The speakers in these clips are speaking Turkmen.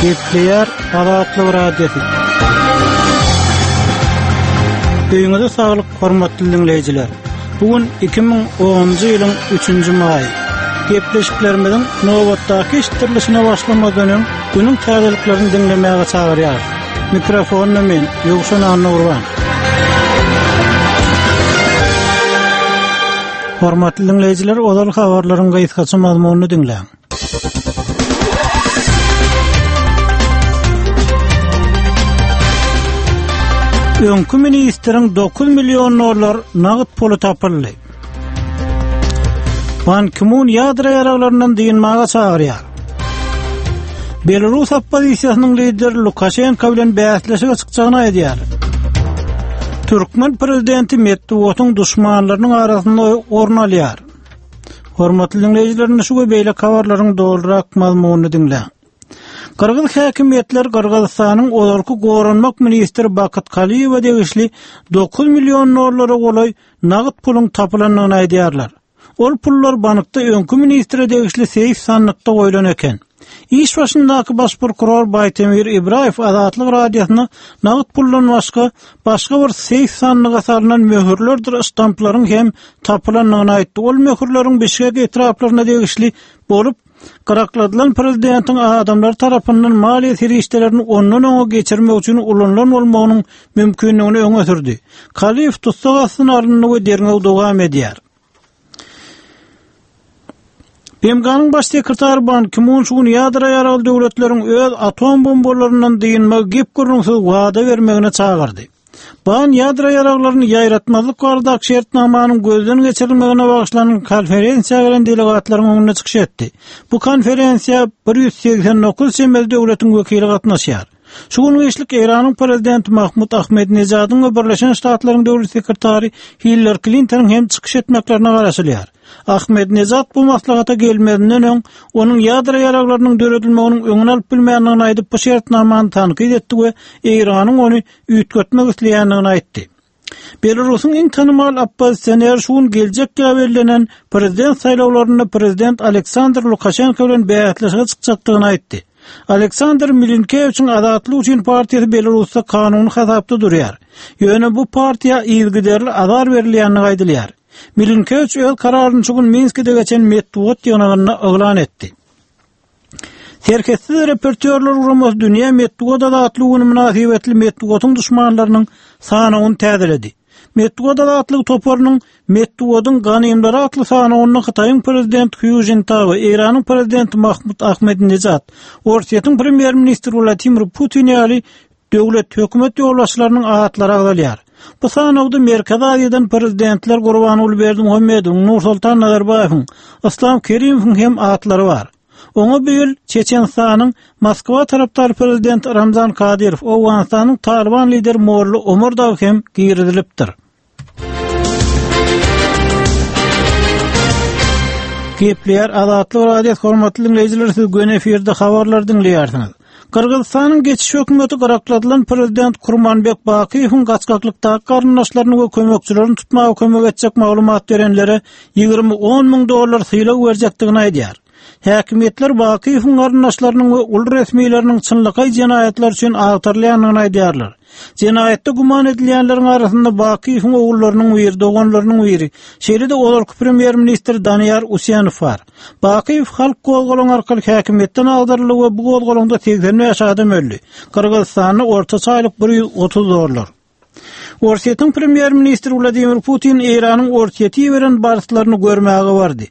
Gepleýär Azatlyk Radiosy. Öýüňize saglyk, hormatly diňleýjiler. Bu gün 2010-njy ýylyň 3-nji maýy. Gepleşiklerimiziň nobatdaky eşitdirilişine başlamazdan öň, günüň täzeliklerini diňlemäge çagyrýarys. Mikrofonda men, Ýowşan Annagurban. Hormatly diňleýjiler, ozal habarlaryň gysgaça mazmunyny diňläň. Öňki ministriň 9 million dollar nagt puly tapyldy. Ban Ki-mun ýadro ýaraglaryndan dynmaga çagyrýar. Belarus oppozisiýasynyň lideri Lukaşenko bilen bäsleşige çykjagyny aýdýar. Türkmen prezidenti metbugatyň duşmanlarynyň arasynda orun alýar. Hormatly diňleýjiler, indi şu we beýleki habarlaryň dolurak mazmunyny diňläň. Gyrgyz häkimiýetler Gyrgyzystanyň ozalky goranmak ministri Bakyt Kaliýewe degişli 9 million dollara golaý nagt puluň tapylandygyny aýdýarlar. Ol pullar bankda öňki ministre degişli seýf sandykda goýlan eken. Iş başyndaky baş prokuror Baýtemir Ibraýew Azatlyk Radiosyna nagt puldan başga, başga bir seýf sandyga salnan möhürlerdir ştamplaryň hem tapylandygyny aýtdy. Ol möhürleriň Bişkek etraplaryna degişli bolup, gyrakladylan prezidentiň adamlary tarapyndan maliýe serişdelerini ondan oňa geçirmek üçin ulanylan bolmagynyň mümkindigini öňe sürdi. Kaliýew tussag astyna alyndy we derňew dowam edýär. BMG-niň Baş sekretary Ban Ki-mun şu gün ýadro ýaragly döwletleriň öz atom bombalaryndan dynmagy gep-gürrüňsiz wada bermegine çagyrdy. Ban ýadro ýaraglaryny ýaýratmazlyk baradaky şertnamanyň gözden geçirilmegine bagyşlanan konferensiýa gelen delegatlaryň öňünde çykyş etdi. Bu konferensiýa 189 çemeli döwletiň wekili gatnaşýar. Şu gün giçlik Eýranyň prezidenti Mahmud Ahmedinejadyň we Birleşen Ştatlaryň döwlet sekretary Hillari Klintonyň hem çykyş etmeklerine garaşylýar. Ahmedinejad bu maslahata gelmezinden öň, onuň ýadro ýaraglarynyň döredilmeginiň öňüni alyp bilmändigini aýdyp, bu şertnamany tankyt etdi we Eýranyň ony üýtgetmek isleýändigini aýtdy. Belarusyň iň tanymal oppozisioneri şu gün geljek ýyla bellenen prezident saýlawlarynda prezident Aleksandr Lukaşenko bilen bäsleşige çykjakdygyny aýtdy. Aleksandr Milinkewiçiň Azatlyk üçin partiýasy Belarusda kanuny hasapda durýar. Ýöne bu partiýa yzygiderli azar berilýändigi aýdylýar. Milinkewiç öz kararyny şu gün Minskide geçen metbugat ýygnagynda yglan etdi. Serhetsiz reportýorlar guramasy Dünýä metbugat azatlygy güni mynasybetli metbugatyň duşmanlarynyň sanawyny täzeledi. Metbugat azatlygy toparynyň Metbugatyň ganymlary atly sanawynda Hytaýyň prezidenti Hü Žintao, Eýranyň prezidenti Mahmud Ahmedinejad, Orsýetiň premýer-ministri Wladimir Putin ýaly döwlet, hökümet ýolbaşçylarynyň atlary agzalýar. Bu sanawda Merkezi Aziýadan prezidentler Gurbanguly Berdimuhamedowyň, Nursoltan Nazarbaýewiň, Yslam Kerimowyň hem atlary bar. Oňa bu ýyl Çeçenistanyň Moskwa tarapdary prezidenti Ramzan Kadyrow, Owganystanyň Talyban lideri Molla Omar dagy hem girizilipdir. Gepleýär Azatlyk Radiosy hormatly diňleýjiler siz göni efirde habarlary diňleýärsiňiz. Gyrgyzystanyň geçiş hökümeti gyrakladylan prezident Kurmanbek Bakyýewiň gaçgaklykdaky garyndaşlaryny we kömekçilerini tutmaga kömek etjek maglumat berenlere 20 on müň dollar sylag berjekdigini aýdýar. Häkimiýetler Bakyýewiň garyndaşlarynyň we uly resmileriniň çynlakaý jenaýatlar üçin agtarylýandygyny aýdýarlar. Jenaýatda güman edilýänleriň arasynda Bakyýewiň ogullarynyň biri, doganlarynyň biri, şeýle-de ozalky premýer-ministr Daniýar Usenow bar. Bakyýew halk gozgalaňy arkaly häkimiýetden agdaryldy we bu gozgalaňda 85 adam öldi. Gyrgyzystanda ortaça aýlyk 130 dollar. Orsýetiň premýer-ministri Wladimir Putin Eýranyň Orsýete iberen barslaryny görmäge bardy.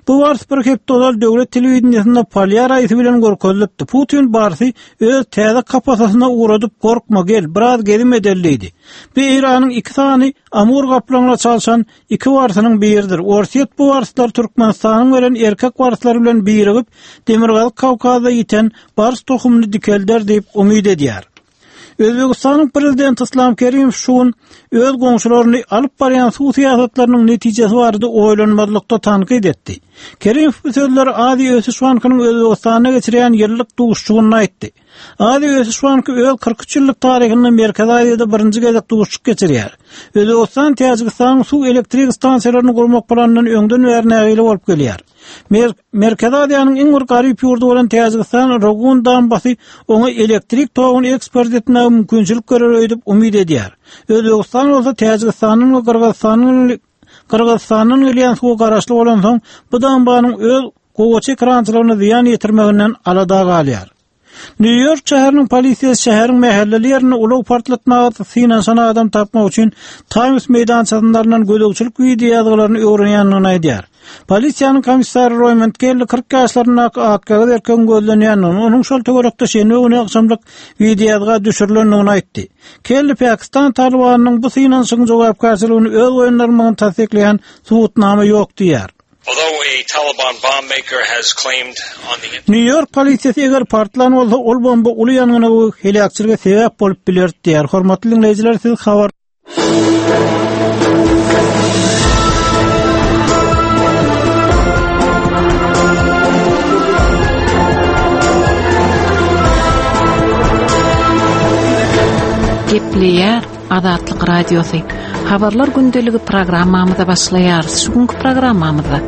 Bu bars bir hepde ozal döwlet telewideniýesinde polýar aýysy bilen görkezilipdi. Putin barsy öz täze kapasasyna ugradyp, gorkma, gel, biraz gezim edeli diýdi. Bu Eýranyň iki sany Amur gaplaňyna çalşan iki barsynyň biridir. Orsýet bu barslary Türkmenistanyň beren erkek barslary bilen birigip, Demirgazyk Kawkazda ýiten bars tohumyny dikelder diýip umyt edýär. Özbegistanyň Prezidenti Yslam Kerimow şu gün öz goňşularyny alyp barýan suw syýasatlarynyň netijesi barada oýlanmazlykda tankyt etdi. Kerimow bu sözleri Aziýa ösüş bankynyň Özbegistanda geçirýän ýyllyk duşuşygynda aýtdy. Aziýa ösüş banky öz 43 ýyllyk taryhynda Merkezi Aziýada birinji gezek duşuşyk geçirýär. Özbegistan Täjigistanyň suw elektrik stansiýalaryny gurmak planyndan öňden bäri nägile bolup gelýär. Merkezi Aziýanyň iň bir garyp ýurdy bolan Täjigistan Rogun dambasy oňa elektrik toguny eksport etmäge mümkinçilik berer öýdüp umyt edýär. Özbegistan bolsa Täjigistanyň we Gyrgyzystanyň Gyrgyzystandan gelýän suwa garaşly bolansoň, bu dambanyň öz gowaça ekrançylygyna zyýan ýetirmeginden alada galýar. Nýu-Ýork şäheriniň polisiýasy şäheriň mähelleli ýerinde ulag partlatmaga synanyşan adam tapmak üçin Taýms meýdançasynda alnan gözegçilik wideoýazgylaryny öwrenýändigini aýdýar. Polisiýanyň komissary Roýmond Kelli 40 ýaşlaryndaky akýagyz erkegiň gözlenýändigini, onuň şol töwerekde şenbe güni agşamlyk wideoýazga düşürilendigini aýtdy. Kelli Pakistan Talybanynyň bu synanyşygyň jogapkärçiligini öz boýnuna almagyny tassyklaýan subutnama ýok diýýär. Nýu-Ýork polisiýasy eger partlan bolsa, ol bomba uly ýangyna we heläkçilige sebäp bolup biler diýýär. Hormatly diňleýjiler, siz habar Gepleýär Azatlyk Radiosy. Habarlar gündeligi programmamyza başlaýarys. Şu günki programmamyzda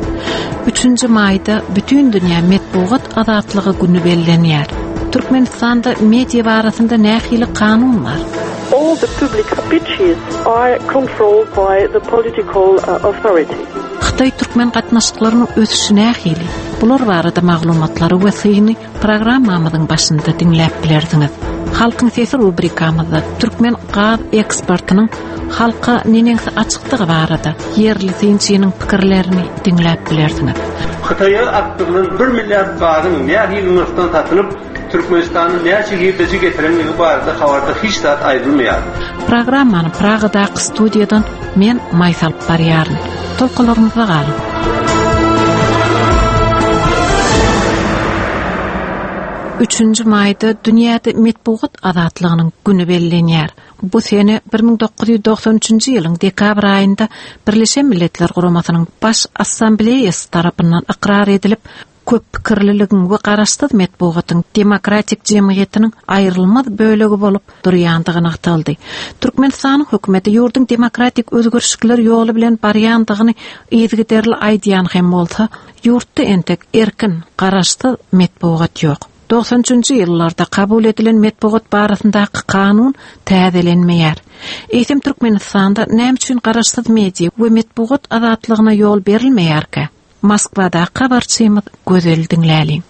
3-nji maýda Bütindünýä metbugat azatlygy güni bellenýär. Türkmenistanda media barasynda nähili kanun bar? All the public speeches are controlled by the political uh, authority. Hytaý-türkmen gatnaşyklarynyň ösüşi nähili? Bular barada maglumatlary we syny Programmamyzyň başynda diňläp bilersiňiz. Halkyň sesi rubrikamyzda türkmen gaz eksportynyň halka neneňsi açykdygy barada ýerli synçynyň pikirlerini diňläp bilersiňiz. Hytaýa akdyrylan bir milliard gazyň nähili nyrhdan satylyp, Türkmenistana näçe girdeji getirenligi barada habarda hiç zat aýdylmaýar. Programmany Pragadaky studiýadan men Maýsa alyp barýaryn. Tolkunlarymyzda galyň. Üçünji maýda dünýäde metbugat azatlygynyň güni bellenýär. Bu sene 1993-nji ýylyň dekabr aýynda Birleşen Milletler Guramasynyň Baş Assambleýasy tarapyndan ykrar edilip, köp pikirliligiň we garaşsyz metbugatyň demokratik jemgyýetiniň aýrylmaz bölegi bolup durýandygy nygtaldy. Türkmenistanyň hökümeti ýurduň demokratik özgerişikler ýoly bilen barýandygyny yzygiderli aýdýan hem bolsa, ýurtda entek erkin, garaşsyz metbugat ýok. Dogsan üçünji ýyllarda kabul edilen metbugat barasyndaky kanun täzelenmeýär. Eýsem Türkmenistanda näme üçin garaşsyz media we metbugat azatlygyna ýol berilmeýärkä? Moskwadaky habarçymyz Gözeli diňläliň.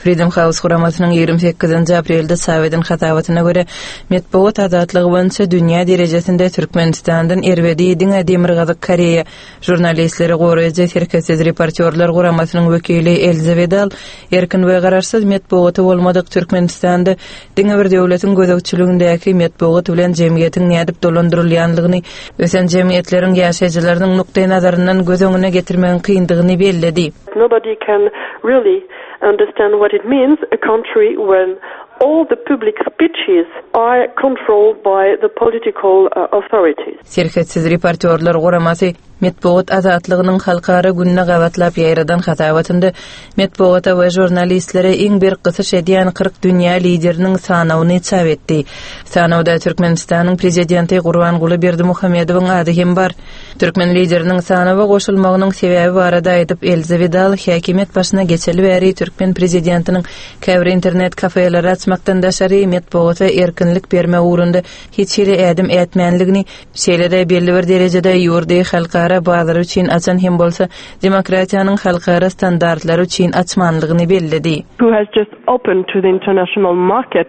Freedom House guramasynyň 28-nji aprelde çap eden hasabatyna görä, metbugat azatlygy boýunça dünýä derejesinde Türkmenistandan erbedi diňe Demirgazyk Koreýa. Žurnalistleri goraýjy Serhetsiz reportýorlar guramasynyň wekili Elza Wedal erkin we garaşsyz metbugaty bolmadyk Türkmenistanda diňe bir döwletiň gözegçiligindäki metbugat bilen jemgyýetiň nädip dolandyrylýanlygyny ösen jemgyýetleriň ýaşaýjylarynyň nukdaýnazaryndan göz öňüne getirmegiň kyndygyny belledi. Nobody can really understand what it means a country when all the public speeches are controlled by the political authorities. Serhetsiz reportýorlar guramasy Metbugat azatlygynyň halkara gününe gabatlap ýaýradan hasabatynda metbugata we žurnalistlere iň berk gysyş edýän 40 dünýä lideriniň sanawyny çap etdi. Sanawda Türkmenistanyň Prezidenti Gurbanguly Berdimuhamedowyň ady hem bar. Türkmen lideriniň sanawa goşulmagynyň sebäbi barada aýdyp, Elza Widal häkimiýet başyna geçeli bäri türkmen prezidentiniň käbir internet kafeleri açmakdan daşary metbugata erkinlik bermek ugrunda hiç hili ädim ätmänligini, şeýle-de belli bir derejede ýurdy halkara bazary üçin açan hem bolsa, demokratiýanyň halkara standartlary üçin açmanlygyny belledi. Who has just opened to the international market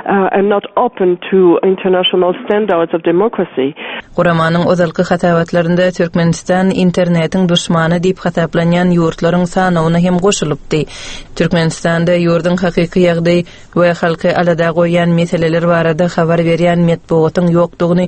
and not open to international standards of democracy. Guramanyň ozalky hasabatlarynda Türkmenistan internetiň duşmany diýip hasaplanýan ýurtlaryň sanawyna hem goşulypdy. Türkmenistanda ýurduň hakyky ýagdaýy we halky alada goýýan meseleler barada habar berýän metbugatyň ýokdugyny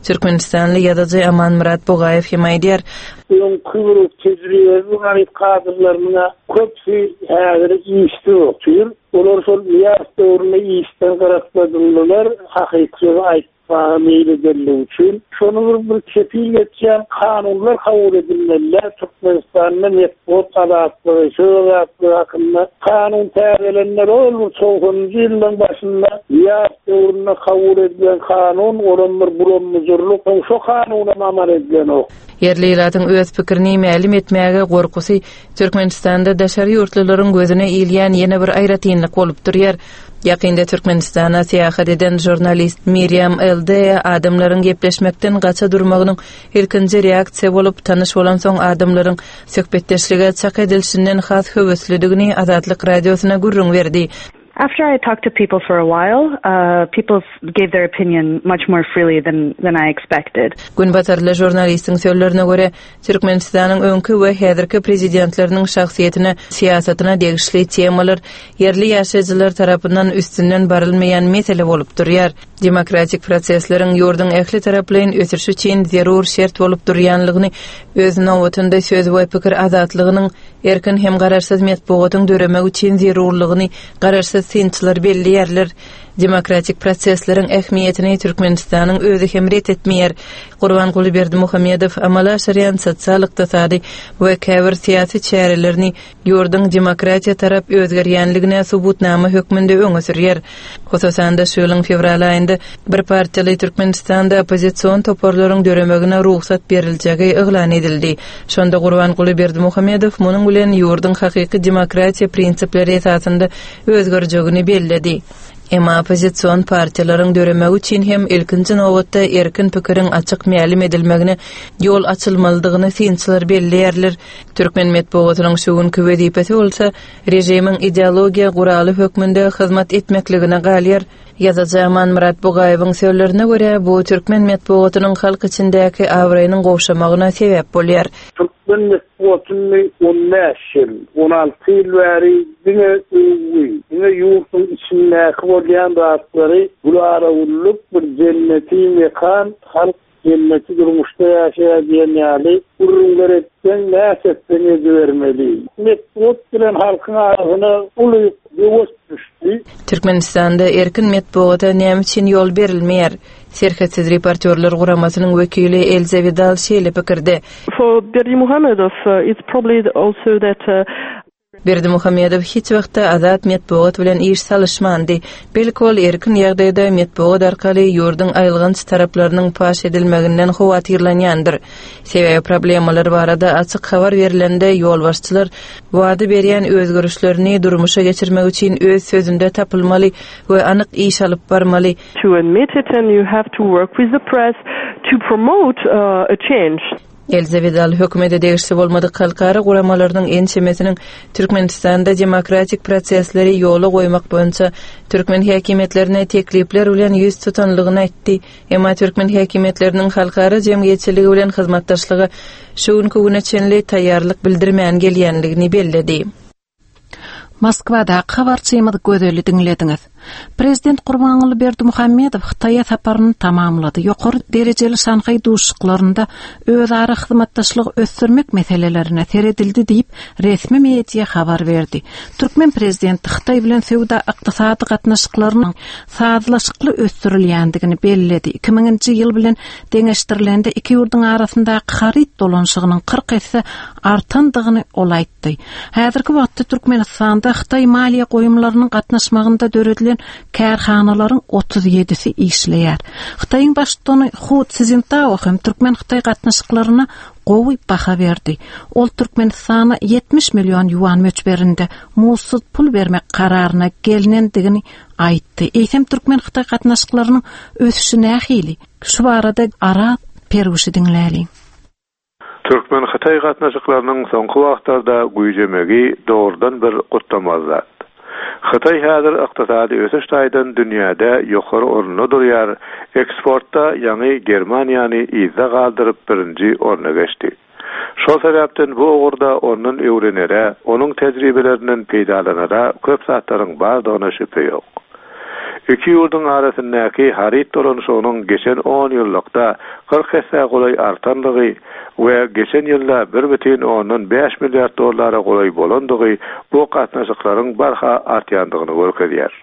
türkmenistanly ýazyjy Amanmyrat Bugaýew hem aýdýar. Öňki bir tejribeli garyp kadrlarynyň köpüsi häzir işsiz otyr. Olar şol Nyýazow döwründe işden gyrakladyldylar, hakyky sözi aýtsak. aýtmaga meýil edenligi üçin. Şony bir bir kepil geçýän kanunlar kabul edilmeli-dä. Türkmenistanda metbugat azatlygy, söz azatlygy hakynda kanun täzelenmeli. Ol bir togsanynjy ýyllaryň başynda Nyýazow döwründe kabul edilen kanun, olam bir bulam-bujurlyk. Soň şo kanunam amal edilenok. Ýerli ilatyň öz pikirini mälim etmäge gorkusy Türkmenistanda daşary ýurtlularyň gözüne ilýän ýene bir aýratynlyk bolup durýar. Ýakynda Türkmenistana syýahat eden žurnalist Miriam Eldea adamlaryň gepleşmekden gaça durmagynyň ilkinji reaksiýa bolup, tanyş bolansoň adamlaryň söhbetdeşlige çak edilişinden has höweslidigini Azatlyk Radiosyna gürrüň berdi. After I talked to people for a while, people gave their opinion much more freely than than I expected. Günbatarly žurnalistiň sözlerine görä, Türkmenistanyň öňki we häzirki prezidentleriniň şahsyýetine, syýasatyna degişli temalar ýerli ýaşaýjylar tarapyndan üstünden barylmaýan mesele bolup durýar. Demokratik prosesleriň ýurduň ähli taraplaýyn ösüşi üçin zerur şert bolup durýanlygyny, öz nobatynda söz we pikir azatlygynyň, erkin hem garaşsyz metbugatyň döremegi üçin zerurlygyny garaşsyz synçylar belleýärler. Demokratik prosesleriň ähmiýetini Türkmenistanyň özi hem ret etmeýär. Gurbanguly Berdimuhamedow amala aşyrýan sosial-ykdysady we käbir syýasy çärelerini ýurduň demokratiýa tarap özgerýänligine subutnama hökmünde öňe sürýär. Hususan-da, şu ýylyň fewral aýynda bir partiýaly Türkmenistanda oppozision toparlaryň döremegine rugsat beriljegi yglan edildi. Şonda Gurbanguly Berdimuhamedow munuň bilen ýurduň hakyky demokratiýa prinsipleri esasynda özgerjegini belledi. Emma oppozision partiýalaryň döremegi üçin hem ilkinji nobatda erkin pikiriň açyk mälim edilmegine ýol açylmalydygyny synçylar belleýärler. Türkmen metbugatynyň şu günki wezipesi bolsa režimiň ideologiýa guraly hökmünde hyzmat etmekligine galýar. Ýazyjy Amanmyrat Bugaýewiň sözlerine görä, bu türkmen metbugatynyň halk içindäki abraýynyň gowşamagyna sebäp bolýar. Türkmen metbugatyny on bäş ýyl, 16 ýyl bäri diňe öwgi, diňe ýurduň içindäki bolýan zatlary gülala-güllük bir jenneti mekan halk jenneti durmuşda ýaşaýar diýen ýaly gürrüňler etseň, näçe etseň edibermeli. Metbugat bilen halkyň arasyna uly böwet düşdi. Türkmenistanda erkin metbugata näme üçin ýol berilmeýär? Serhetsiz reportýorlar guramasynyň wekili Elza Widal şeýle pikirde. For Berdimuhamedow, it's probably also that Berdimuhamedow hiç wagtda azat metbugat bilen iş salyşmandy. Belki ol erkin ýagdaýda metbugat arkaly ýurduň aýylganç taraplarynyň paş edilmeginden howatyrlanýandyr. Sebäbi problemalar barada açyk habar berlende ýolbaşçylar wada berýän özgerişlerini durmuşa geçirmek üçin öz sözünde tapylmaly we anyk iş alyp barmaly. To admit it and you have to work with the press to promote a change. Elza Widal hökümete degişli bolmadyk halkara guramalarynyň ençemesiniň Türkmenistanda demokratik prosesleri ýola goýmak boýunça türkmen häkimiýetlerine teklipler bilen ýüz tutanlygyny aýtdy. Emma türkmen häkimiýetleriniň halkara jemgyýetçiligi bilen hyzmatdaşlyga şu günki güne çenli taýýarlyk bildirmän gelýänligini belledi. Moskwadaky habarçymyz Gözeli diňlediňiz. Prezident Gurbanguly Berdimuhamedow Hytaýa saparyny tamamlady. Ýokary derejeli Şanhaý duşuşyklarynda özara hyzmatdaşlygy ösdürmek meselelerine seredildi diýip, resmi media habar berdi. Türkmen prezidenti Hytaý bilen söwda-ykdysady gatnaşyklarynyň sazlaşykly ösdürilýändigini belledi. 2000-nji ýyl bilen deňeşdirilende iki ýurduň arasyndaky haryt dolanyşygynyň 40 esse artandygyny ol aýtdy. Häzirki wagtda Türkmenistanda hytaý maliýe goýumlarynyň gatnaşmagynda döredilen kärhanalaryň 37-si işleýär. Hytaýyň baştutany Hu Szintao hem türkmen-hytaý gatnaşyklaryna gowy baha berdi. Ol Türkmenistana 70 million ýuan möçberinde muzdsuz pul bermek kararyna gelnendigini aýtdy. Eýsem türkmen-hytaý gatnaşyklarynyň ösüşi nähili? Şu barada Araz Perwişi diňläliň. Türkmen-hytaý gatnaşyklarynyň soňky wagtlarda güýjemegi dogrudan bir gutlamaly zat. Hytaý häzir ykdysady ösüş taýdan dünýäde ýokary orunda durýar, eksportda ýaňy Germaniýany yzda galdyryp birinji orna geçdi. Şol sebäpden bu ugurda ondan öwrenere, onuň tejribelerinden peýdalanara köp zatlaryň bardygyna şübhe ýok. Iki ýurduň arasyndaky haryt dolanyşygynyň geçen onýyllykda 40 essä golaý artandygy we geçen ýylda bir bütin ondan bäş milliard dollara golaý bolandygy bu gatnaşyklaryň barha artýandygyny görkezýär.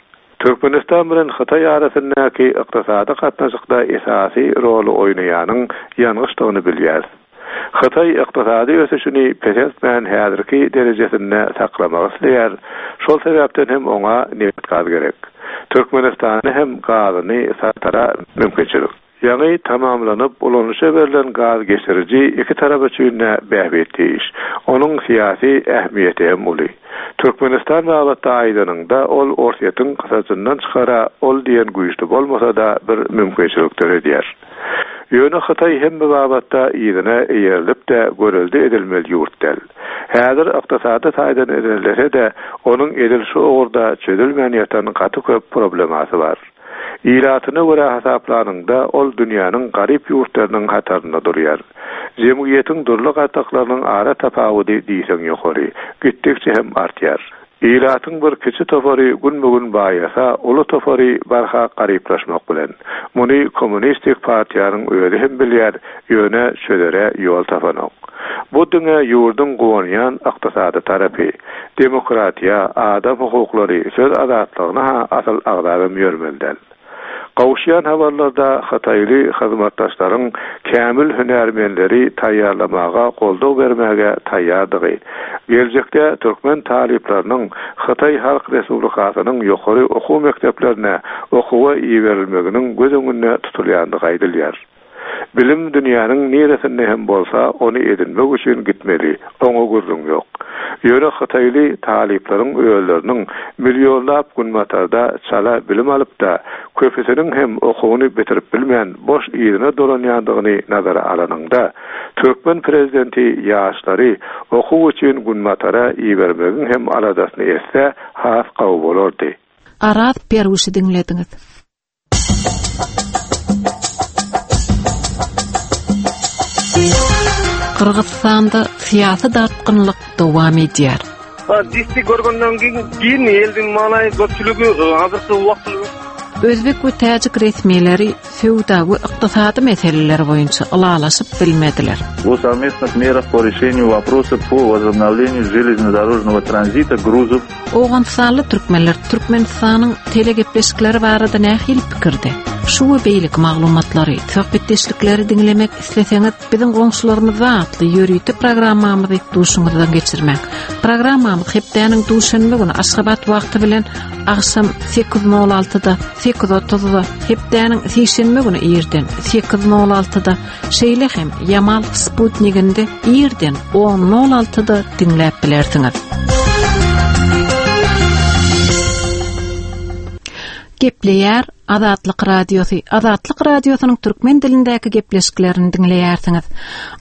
Türkmenistan bilen Hytaý arasyndaky ykdysady gatnaşykda esasy roly oýnaýanyň ýangyçdygyny bilýäris. Hytaý ykdysady ösüşini peseltmän häzirki derejesinde saklamak isleýär, şol sebäpden hem oňa nebit-gaz gerek. Türkmenistanda hem gazyny satara mümkinçilik. Ýaňy tamamlanyp, ulanyşa berlen gaz geçiriji iki tarap üçin-de bähbitli iş. Onuň syýasy ähmiýeti hem uly. Türkmenistan babatda aýdanyňda, ol Orsýetiň gysajyndan çykara ol diýen güýçli bolmasa-da bir mümkinçilik döredýär. Ýöne Hytaý hemme babatda yzyna eýerilip-de görelde edilmeli ýurt däl. Häzir ykdysady taýdan ilerlese-de, onuň edil şu ugurda çözülmän ýatan gaty köp problemasy bar. Ilatyna görä hasaplanyňda, ol dünýäniň garyp ýurtlarynyň hatarynda durýar. Jemgyýetiň dürli gatlaklarynyň ara tapawudy diýseň ýokary, gitdikçe hem artýar. Ilatyň bir kiçi topary günbe-gün baýasa, uly topary barha garyplaşmak bilen. Muny Kommunistik partiýanyň özi hem bilýär, ýöne çözere ýol tapanok. Bu diňe ýurduň guwanýan ykdysady tarapy. Demokratiýa, adam hukuklary, söz azatlygyny-ha asyl agzabam ýörmeli däl. Gowuşýan habarlarda hytaýly hyzmatdaşlaryň kämil hünärmenleri taýýarlamaga goldaw bermäge taýýardygy, geljekde türkmen talyplarynyň Hytaý Halk Respublikasynyň ýokary okuw mekdeplerine okuwa iberilmeginiň göz öňünde tutulýandygy aýdylýar. Bilim dünýäniň niresinde hem bolsa ony edinmek üçin gitmeli, oňa gürrüň ýok. Ýöne hytaýly talyplaryň özleriniň millionlap günbatarda çala bilim alyp-da, köpüsiniň hem okuwyny bitirip bilmän boş yzyna dolanýandygyny nazara alanyňda, türkmen prezidenti ýaşlary okuw üçin günbatara ibermegiň hem aladasyny etse has gowy bolardy. Araz Perwişi diňlediňiz. Gyrgyzystanda syýasy dartgynlyk dowam edýär. Disdi görgenden keyin eldiň maanaýy köpçüligi hazirki wagt Özbek we täjik resmileri söwda we ykdysady meseleler boýunça ylalaşyp bilmediler. О совместных мерах по решению вопроса по возобновлению железнодорожного транзита грузов Owganystanly türkmenler Türkmenistanyň telegepleşikleri barada nähili pikirde? Şu we beýleki maglumatlary, söhbetdeşlikleri diňlemek isleseňiz, biziň goňşularymyzda atly ýörite programmamyzy duşuňyzdan geçirmäň. Programmamyz hepdäniň duşenbe güni Aşgabat wagty bilen agşam 8:06-da, 8:30-da, hepdäniň sişenbe güni irden 8:06-da, Şeýle hem Ýamal sputniginde irden 10.06-da diňläp bilersiňiz. Gepleýär Azatlyk Radiosy. Azatlyk Radiosynyň türkmen dilindäki gepleşiklerini diňleýärsiňiz.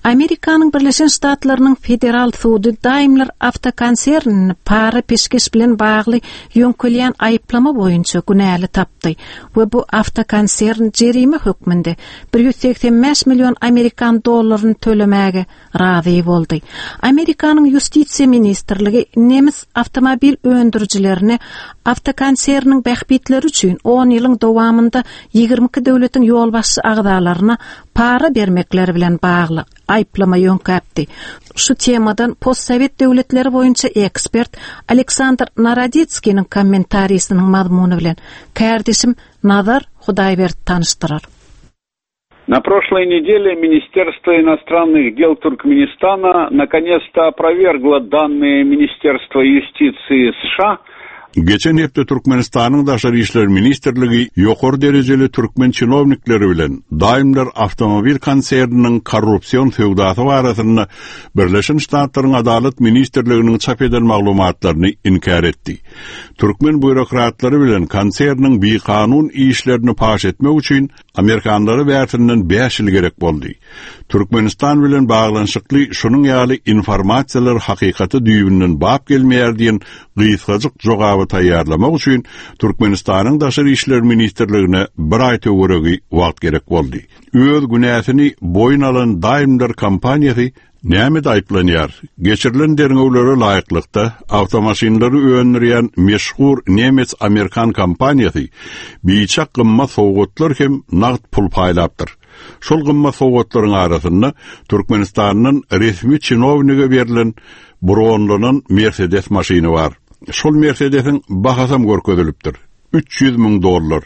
Amerikanyň Birleşen Ştatlarynyň Federal sudy Daimler awtokonsernini para-peşgeş bilen bagly ýöňkelýän aýyplama boýunça günäli tapdy we bu awtokonsern jerime hökmünde 185 million amerikan dollaryny tölemäge razy boldy. Amerikanyň Ýustisiýa ministrligi nemes awtomobil öndürijilerine awtokonserniň bähbitleri üçin on ýylyň dowamynda 22 döwletiň ýolbaşçy agzalaryna para bermekleri bilen bagly aýyplama ýöňkäpdi. Şu temadan postsowet döwletleri boýunça ekspert Aleksandr Naroditskiniň kommentarisiniň mazmuny bilen kärdeşim Nazar Hudaýberdi tanyşdyrar. На прошлой неделе Министерство иностранных дел Туркменистана наконец-то опровергло данные Министерства юстиции США Geçen hepde Türkmenistanyň Daşary işler ministrligi ýokary derejeli türkmen çinownikleri bilen Daimler awtomobil konserniniň korrupsion söwdasy barasynda Birleşen Ştatlaryň Adalat ministrliginiň çap eden maglumatlaryny inkär etdi. Türkmen býurokratlary bilen konserniň bikanun işlerini paş etmek üçin amerikanlara bärsinden bäş ýyl gerek boldy. Türkmenistan bilen baglanyşykly şunuň ýaly informasiýalar hakykata düýbünden bap gelmeýär diýen gysgajyk jogaby taýýarlamak üçin Türkmenistanyň Daşary işler ministrligine bir aý töweregi wagt gerek boldy. Öz günäsini boýun alan Daimler kompaniýasy Nämede aýyplanýar? Geçirilen derňewlere laýyklykda, awtomaşynlary öndürýän meşhur nemes-amerikan kompaniýasy biçak gymmat sowgatlar hem nagt pul paýlapdyr. Şol gymmat sowgatlaryň arasynda Türkmenistandan resmi çinownige berlen bronlanan Mersedes maşyny bar. Şol Mersedesiň bahasam görkezilipdir. 300 müň dollar.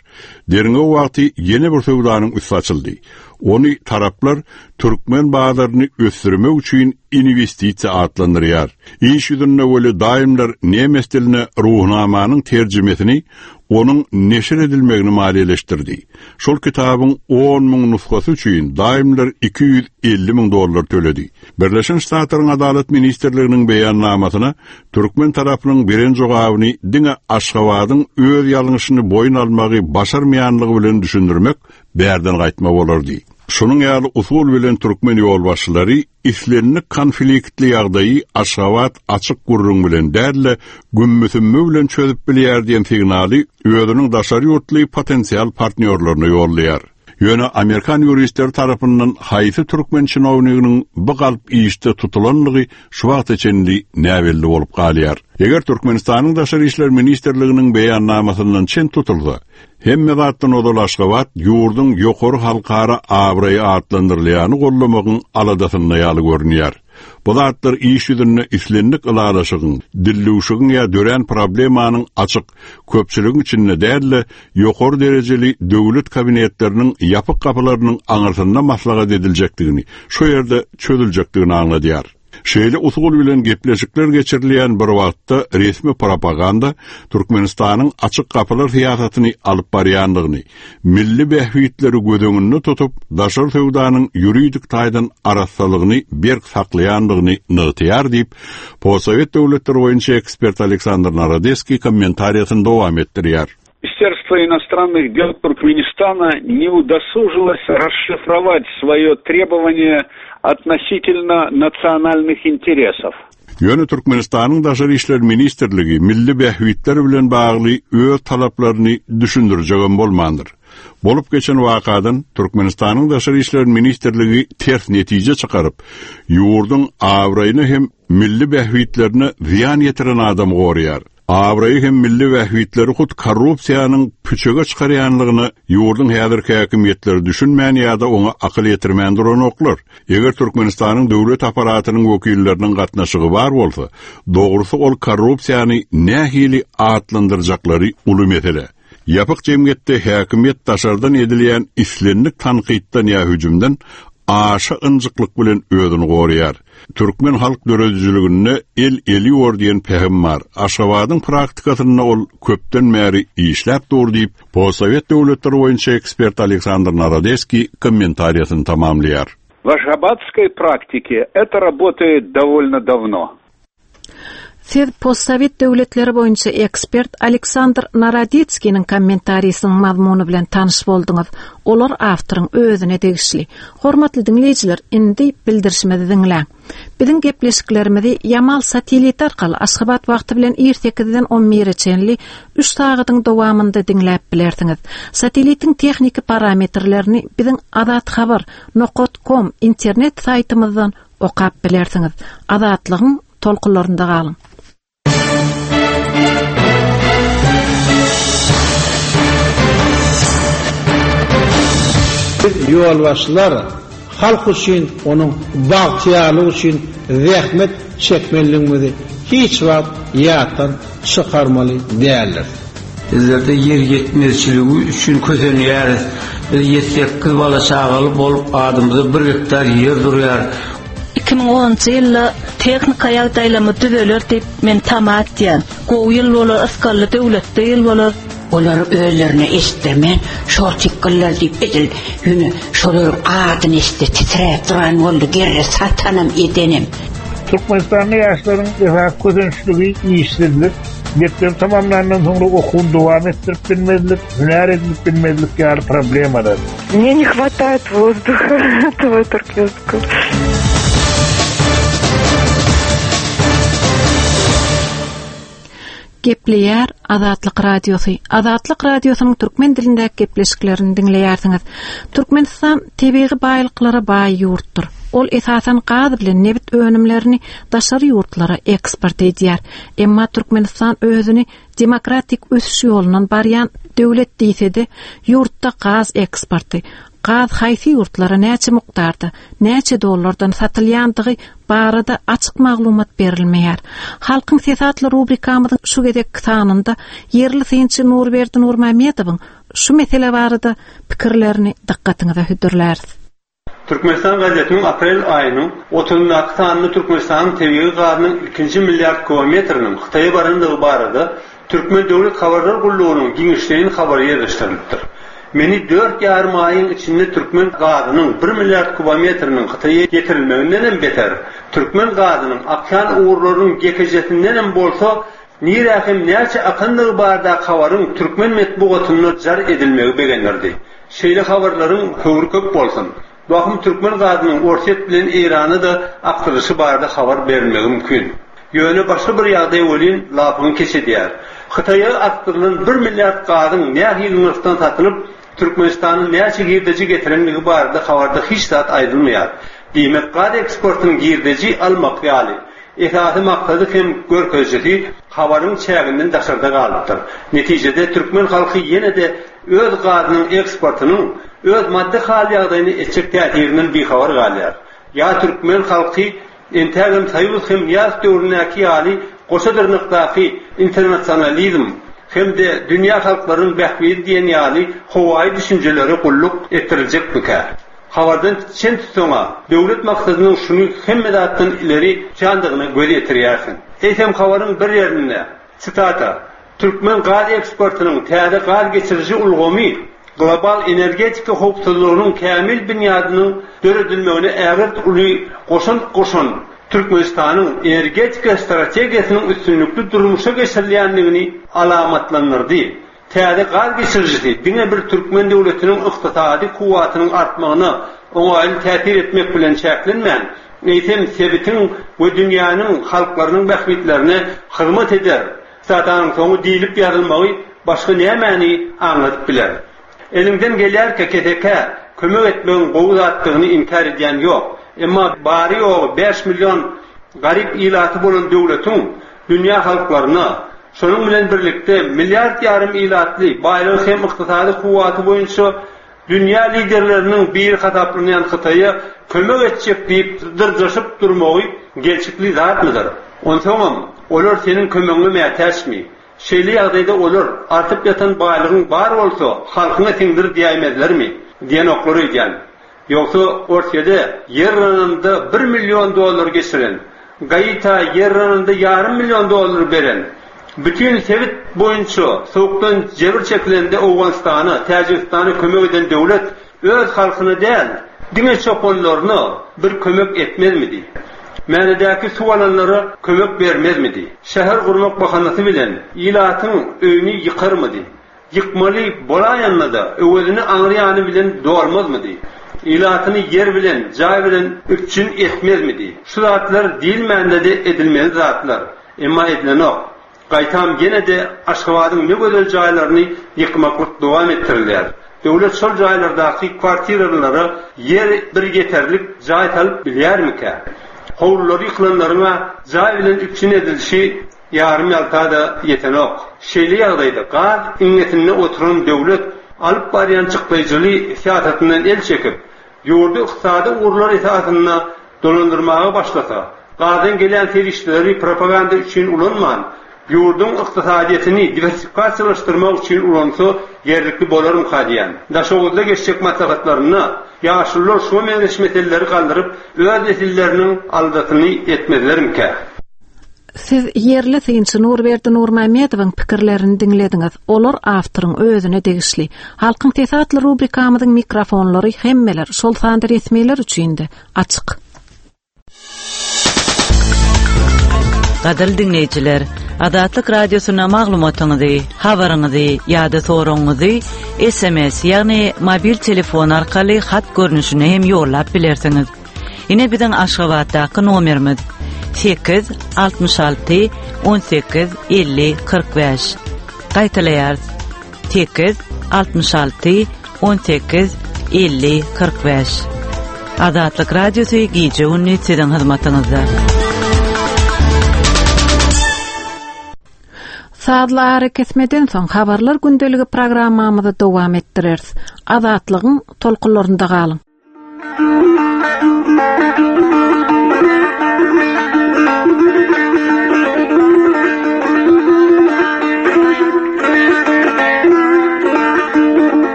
Derňew wagty ýene bir söwdanyň üsti açyldy. Ony taraplar türkmen bazaryny ösdürmek üçin inwestisiýa atlandyrýar. Iş ýüzünde weli Daimler nemes diline Ruhnamanyň terjimesini onuň neşir edilmegini maliýeleşdirdi. Şol kitabyň on müň nusgasy üçin Daimler 250 müň dollar töledi. Birleşen Ştatlaryň Adalat ministrliginiň beýannamasyna türkmen tarapynyň beren jogabyny diňe Aşgabadyň öz ýalňyşyny boýun almagy başarmaýanlygy bilen düşündirmek bärden gaýtma bolardy. Şunuň ýaly usul bilen türkmen ýolbaşçylary islendik konfliktli ýagdaýy Aşgabat açyk gürrüň bilen däl-de, gümmü-sümmü bilen çözüp bilýär diýen signaly özüniň daşary ýurtly potensial partnýorlaryna ýollaýar. Ýöne amerikan ýuristleri tarapyndan haýsy türkmen çinowniginiň bu galp işde tutulandygy şu wagta çenli näbelli bolup galýar. Eger Türkmenistanyň Daşary işler ministrliginiň beýannamasyndan çen tutulsa, hemme zatdan ozal Aşgabat ýurduň ýokary halkara abraýy atlandyrylýany goldamagyň aladasynda ýaly görünýär. Bu zatlar iş ýüzünde islendik ylalaşygyň, dildüwşügiň ýa dörän problemanyň açyk, köpçüligiň içinde däl-de, ýokary derejeli döwlet kabinetleriniň ýapyk gapylarynyň aňyrsynda maslahat ediljekdigini, şo ýerde çözüljekdigini aňladýar. Şeýle usul bilen gepleşikler geçirilýän bir wagtda resmi propaganda Türkmenistanyň açyk gapylar syýasatyny alyp barýandygyny, milli bähbitleri göz öňünde tutup, daşary söwdanyň ýuridik taýdan arassalygyny berk saklaýandygyny nygtaýar diýip, postsowet döwletleri boýunça ekspert Aleksandr Narodeskiý kommentariýasyny dowam etdirýär. Министерство иностранных дел Туркменистана не удосужилось расшифровать свое требование относительно национальных интересов. Ýöne Türkmenistanyň Daşary işler ministrligi milli bähbitler bilen bagly öz talaplaryny düşündirjegem bolmandyr. Bolup geçen wakadan Türkmenistanyň Daşary işler ministrligi ters netije çykaryp, ýurduň abraýyna hem milli bähbitlerine zyýan ýetiren adamy goraýar. Abraýy hem milli bähbitleri hut korrupsiýanyň püçege çykarýanlygyna ýurduň häzirki häkimiýetleri düşünmän ýa-da oňa akyl ýetirmän duranoklar. Eger Türkmenistanyň döwlet apparatynyň wekilleriniň gatnaşygy bar bolsa, dogrusy ol korrupsiýany nähili atlandyrjaklary uly mesele. Ýapyk jemgyýetde häkimiýet daşardan edilýän islendik tankytdan ýa hüjümden aşa ynjyklyk bilen özüni goraýar. Türkmen halk döredijiliginde El eli ýuwar diýen pähim bar. Aşgabadyň praktikasynda ol köpden bäri işläp dur diýip, postsowet döwletleri boýunça ekspert Aleksandr Narodeskiý kommentariýasyny tamamlaýar. В ашгабадской практике это работает довольно давно. Siz postsowet döwletleri boýunça ekspert Aleksandr Narodetskiniň kommentarisiniň mazmuny bilen tanyş bolduňyz. Olar awtoryň özüne degişli. Hormatly diňleýjiler, indi bildirişimizi diňläň. Biziň gepleşiklerimizi Ýamal sateliti arkaly Aşgabat wagty bilen ir sekizden on bire çenli üç sagadyň dowamynda diňläp bilersiňiz. Satelitiň tehniki parametrlerini biziň Azathabar. Nokat kom internet saýtymyzdan okap bilersiňiz. Azatlygyň tolkunlarynda galyň. Biz ýolbaşçylar halk üçin, onuň bagtyýarlygy üçin zähmet çekmelidigimizi hiç wagt ýatdan çykarmaly däldiris. Bizlerde ýer ýetmezçiligi üçin kösenýäris. Biz ýedi-sekiz bala-çagaly bolup, adymyza bir gektar ýer durýar. 2010-njy ýylda tehnika ýagdaýlarymyz düzeler diýip, men tama etýän. Gowy ýyl bolar, ysgally döwletli ýyl bolar. Olar özlerine eşitdirmän, şortikgyllar diýip edil ýöne şolaryň adyny eşitse titräp duran boldy, gerre satanam edenem. Türkmenistanda ýaşlaryň esasy kösençligi işsizlik, mekdebi tamamlandan soňra okuwyny dowam etdirip bilmezlik, hünär edinip bilmezlik ýaly problemalar. Мне не хватает воздуха этого туркменского. Gepleýär Azatlyk Radiosy. Azatlyk Radiosynyň türkmen dilindäki gepleşiklerini diňleýärsiňiz. Türkmenistan tebigy baýlyklara baý ýurtdur. Ol esasan gaz bilen nebit önümlerini daşary ýurtlara eksport edýär. Emma Türkmenistan özüni demokratik ösüş ýolundan barýan döwlet diýse-de, ýurtda gaz eksporty, Gaz haýsy ýurtlara näçe mukdarda, näçe dollardan satylýandygy barada açyk maglumat berilmeýär. Halkyň sesi atly rubrikamyzyň şu gezekki sanynda ýerli synçy Nurberdi Nurmämmedowyň şu mesele barada pikirlerini dykgatyňyza hödürläris. Türkmenistan gazetiniň aprel aýynyň otuzyndaky sanynda Türkmenistanyň tebigy gazynyň ilkinji milliard kubometriniň Hytaýa barandygy barada Türkmen döwlet habarlar gullugynyň giňişleýin habary ýerleşdirilipdir. Meni dört ýarym aýyň içinde türkmen gazynyň bir milliard kubometriniň Hytaýa ýetirilmegindenem beter, türkmen gazynyň akýan ugurlarynyň ýekejesindenem bolsa nirä hem näçe akandygy baradaky habaryň türkmen metbugatynda jar edilmegi begendirdi. Şeýle habarlaryň höwri köp bolsun. Wahym türkmen gazynyň Orsýet bilen Eýrana-da akdyrylyşy barada habar berilmegi mümkin. Ýöne başga bir ýagdaý welin lapyňy keç edýär. Hytaýa akdyrylan bir milliard gazyň nähili nyrhdan satylyp, Türkmenistana näçe girdeji getirenligi barada habarda hiç zat aýdylmaýar. Diýmek, gaz eksportynyň girdeji almak ýaly esasy maksady hem görkezijisi habaryň çäginden daşarda galypdyr. Netijede, türkmen halky ýene-de öz gazynyň eksportynyň öz maddy hal-ýagdaýyna etjek täsirinden bihabar galýar. Ýa türkmen halky entägem Soýuz hem Nyýazow döwründäki ýaly goşa dyrnakdaky internasionalizm hem-de dünýä halklarynyň bähbidi diýen ýaly howaýy düşünjelere gulluk etdiriljekmikä? Habardan çen tutsaň-a, döwlet maksadynyň şuny hemme zatdan ileri tutýandygyna göz ýetirýärsiň. Eýsem habaryň bir ýerinde, sitata, Türkmen gaz eksportynyň täze gaz geçiriji ulgamy global energetika howpsuzlygynyň kämil binýadynyň döredilmegine ägirt uly goşant goşan Türkmenistanyň energetika strategiýasynyň üstünlikli durmuşa geçirilýändigini alamatlandyrdy. Täze gaz geçirijisi diňe bir türkmen döwletiniň ykdysady kuwwatynyň artmagyna oňaýly täsir etmek bilen çäklenmän, eýsem, sebitiň we dünýäniň halklarynyň bähbitlerine hyzmat eder. Statanyň soňy diýlip ýazylmagy başga nämäni aňladyp biler? Eliňden gelýärkä kesekä kömek etmegiň gowy zatdygyny inkär edýän ýok. Emma bary-ýogy 5 million garyp ilaty bolan döwletiň dünýä halklaryna, şonuň bilen birlikde milliard ýarym ilatly, baýlygy hem ykdysady kuwwaty boýunça dünýä liderleriniň biri hasaplanýan Hytaýa kömek etjek diýip dyrjaşyp durmagy gelşikli zatmydyr? Onsoňam, olar seniň kömegiňe mätäçmi? Şeýle ýagdaýda olar, artyp ýatan baýlygyň bar bolsa, halkyňa siňdir diýäýmezlermi? Diýenoklar öýdýän. Ýogsa Orsýede ýer yranynda bir million dollar geçiren, Gaita ýer yranynda ýarym million dollar beren, bütin sebit boýunça sowukdan jebir çekilende Owganystana, Täjigistana kömek eden döwlet öz halkyna däl, diňe çopanlaryna bir kömek etmezmidi? Mänedäki suw alanlara kömek bermezmidi? Şäher gurmak bahanasy bilen ilatyň öýüni ýykarmydy? Ýykmaly bolaýanda-da, öwezini aňry ýany bilen dolmazmydy? Ilatyny ýer bilen, jaý bilen üpjün etmezmidi? Şu zatlar diýilmände-de edilmeli zatlar. Emma edilenok. Gaýtam ýene-de Aşgabadyň ne gözel jaýlaryny ýykmaklyk dowam etdirilýär. Döwlet şol jaýlardaky kwartiralylara ýer bir ýeterlik jaý salyp bilýärmikä? Howlulary ýykylanlaryň-a jaý bilen üpjün edilişi ýarym-ýalta-da ýetenok. Şeýle ýagdaýda gaz iňňesinde oturan döwlet alyp barýan çykdaýjyly syýasatyndan el çekip, ýurdy ykdysady ugurlar esasynda dolandyrmaga başlasa, gazdan gelýän serişdeleri propaganda üçin ulanman, ýurduň ykdysadyýetini diwersifikasiýalaşdyrmak üçin ulansa ýerlikli bolarmyka diýýän. Daşoguzda geçjek maslahatlarynda ýaşulular şuňa meňzeş meseleleri galdyryp, öz nesilleriniň aladasyny etmezlermikä? Siz ýerli synçy Nurberdi Nurmämmedowyň pikirlerini diňlediňiz. Olar awtoryň özüne degişli. Halkyň sesi atly rubrikamyzyň mikrofonlary hemmeler, şol sanda resmiler üçin-de açyk. Gadyrly diňleýjiler, Azatlyk Radiosyna maglumatyňyzy, habaryňyzy ýa-da soragyňyzy SMS, ýagny mobil telefon arkaly hat görnüşinde hem ýollap bilersiňiz. Ine biziň Aşgabatdaky nomerimiz 8 66 18 50 45. Gaýtalaýarys. 8 66 18 50 45. Azatlyk Radiosy gije-gündiz siziň hyzmatyňyzda. Sazly arakesmeden soň Habarlar gündeligi programmamyzy dowam etdireris. Azatlygyň tolkunlarynda galyň!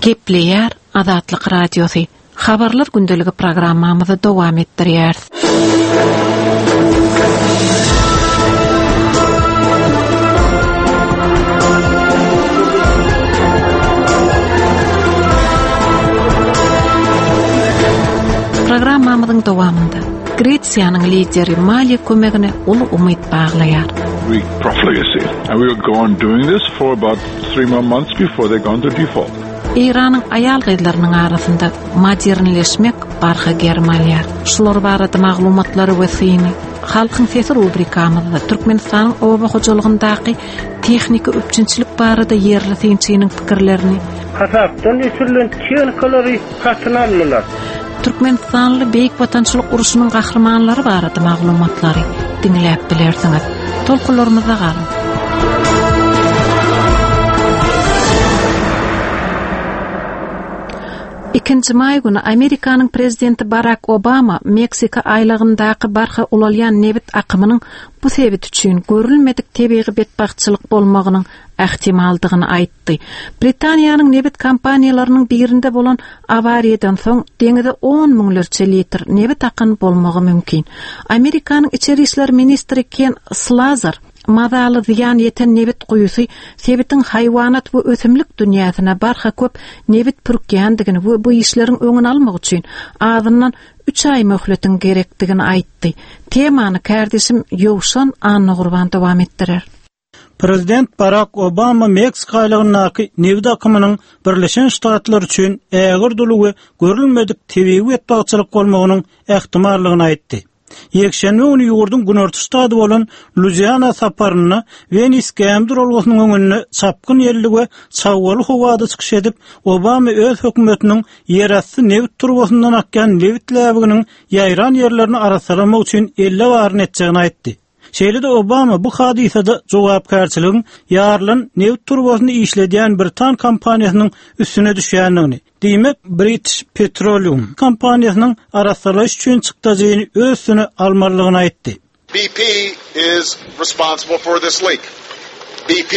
Gepleýär Azatlyk Radiosy. Habarlar gündeligi programmamyzy dowam etdirýäris. Programmamyzyň dowamynda Gresiýanyň lideri maliýe kömegine uly umyt baglaýar. Greek profligacy and we will go on doing this for about three more months before they go into default. Eýranyň aýal-gyzlarynyň arasynda modernleşmek barha gerim alýar. Şular barada maglumatlary we syny Halkyň sesi rubrikamyzda Türkmenistanyň oba hojalygyndaky tehniki üpjünçilik barada ýerli synçynyň pikirlerini, Hasapdan ötürilen tehnikalary satyn aldylar. Türkmenistanly Beýik Watançylyk urşunyň gahrymanlary barada maglumatlary diňläp bilersiňiz. Tolkunlarymyzda galyň! Ikinji maý güni Amerikanyň prezidenti Barak Obama Meksika aýlagyndaky barha ulalýan nebit akymynyň bu sebit üçin görülmedik tebigy betbagtçylyk bolmagynyň ähtimaldygyny aýtdy. Britaniýanyň nebit kompaniýalarynyň birinde bolan awariýadan soň deňize on müňlerçe litr nebit akan bolmagy mümkin. Amerikanyň içeri işler ministri Ken Slazar Mazaly zyýan ýeten nebit guýusy sebitiň haýwanat we ösümlik dünýäsine barha köp nebit pürkýändigini we bu işleriň öňüni almak üçin azyndan üç aý möhletiň gerekdigini aýtdy. Temany kärdeşim Ýowşan Annagurban dowam etdirer. Prezident Barak Obama Meksika aýlagyndaky nebit akymynyň Birleşen Ştatlar üçin ägirt uly we görülmedik tebigy betbagtçylyk bolmagynyň ähtimallygyny aýtdy. Ýekşenbe güni ýurduň günorta ştady bolan Luiziana saparynda Wenis gämi duralgasynyň öňünde çapgyn ýelli we çabgaly howada çykyş edip, Obama öz hökümetiniň ýerasty nebit turbasyndan akýan nebit läbiginiň ýaýran ýerlerini arassalamak üçin elde baryny etjegini aýtdy. Şeýle-de Obama bu hadysada jogapkärçiligiň ýarylan nebit turbasyny işledýän britan kompaniýasynyň üstüne düşýändigini, diýmek, British Petroleum kompaniýasynyň arassalaýyş üçin çykdajyny öz üstüne almalydygyny aýtdy. BP is responsible for this leak. BP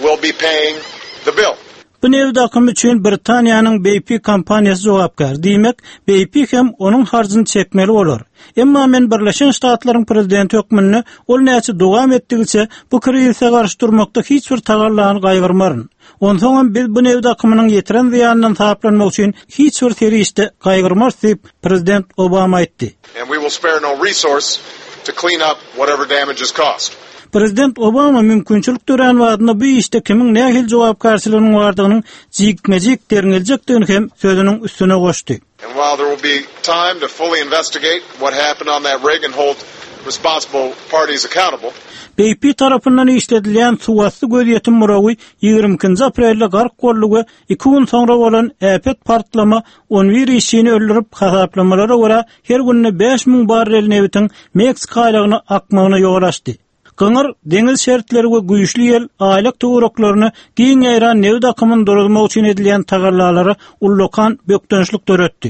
will be paying the bill. Bu nebit akymy üçin Britaniýanyň BP kompaniýasy jogapkär. Diýmek, BP hem onuň harjyny çekmeli bolar. Emma men Birleşen Ştatlaryň prezidenti hökmünde ol näçe dowam etdigiçe bu krizise garşy durmakda hiç bir tagallany gaýgyrmaryn. Onsoňam biz bu nebit akymynyň ýetiren zyýanyndan saplanmak üçin hiç bir serişde gaýgyrmarys diýip, prezident Obama aýtdy. And we will spare no resource to clean up whatever damage is caused. Prezident Obama mümkinçilik dörän badyna bu işde kimiň nähili jogapkärçiliginiň bardygynyň jikme-jik derňeljekdigini hem sözüniň üstüne goşdy. And while there will be time to fully investigate what happened on that rig and hold responsible parties accountable. BP tarapyndan işledilýän suwasty gözýetim burawy 22-nji aprelde gark boldy we iki gün soňra bolan äpet partlama on bir işçini öldürip, hasaplamalara görä, her günde 5000 barrel nebitiň Meksika aýlagyna akmagyna ýol açdy. Gyňyr deňiz şertleri we güýçli ýel aýlak töwereklerine giň ýaýran nebit akymyny duruzmak üçin edilýän tagallalara ullakan bökdençlik döretdi.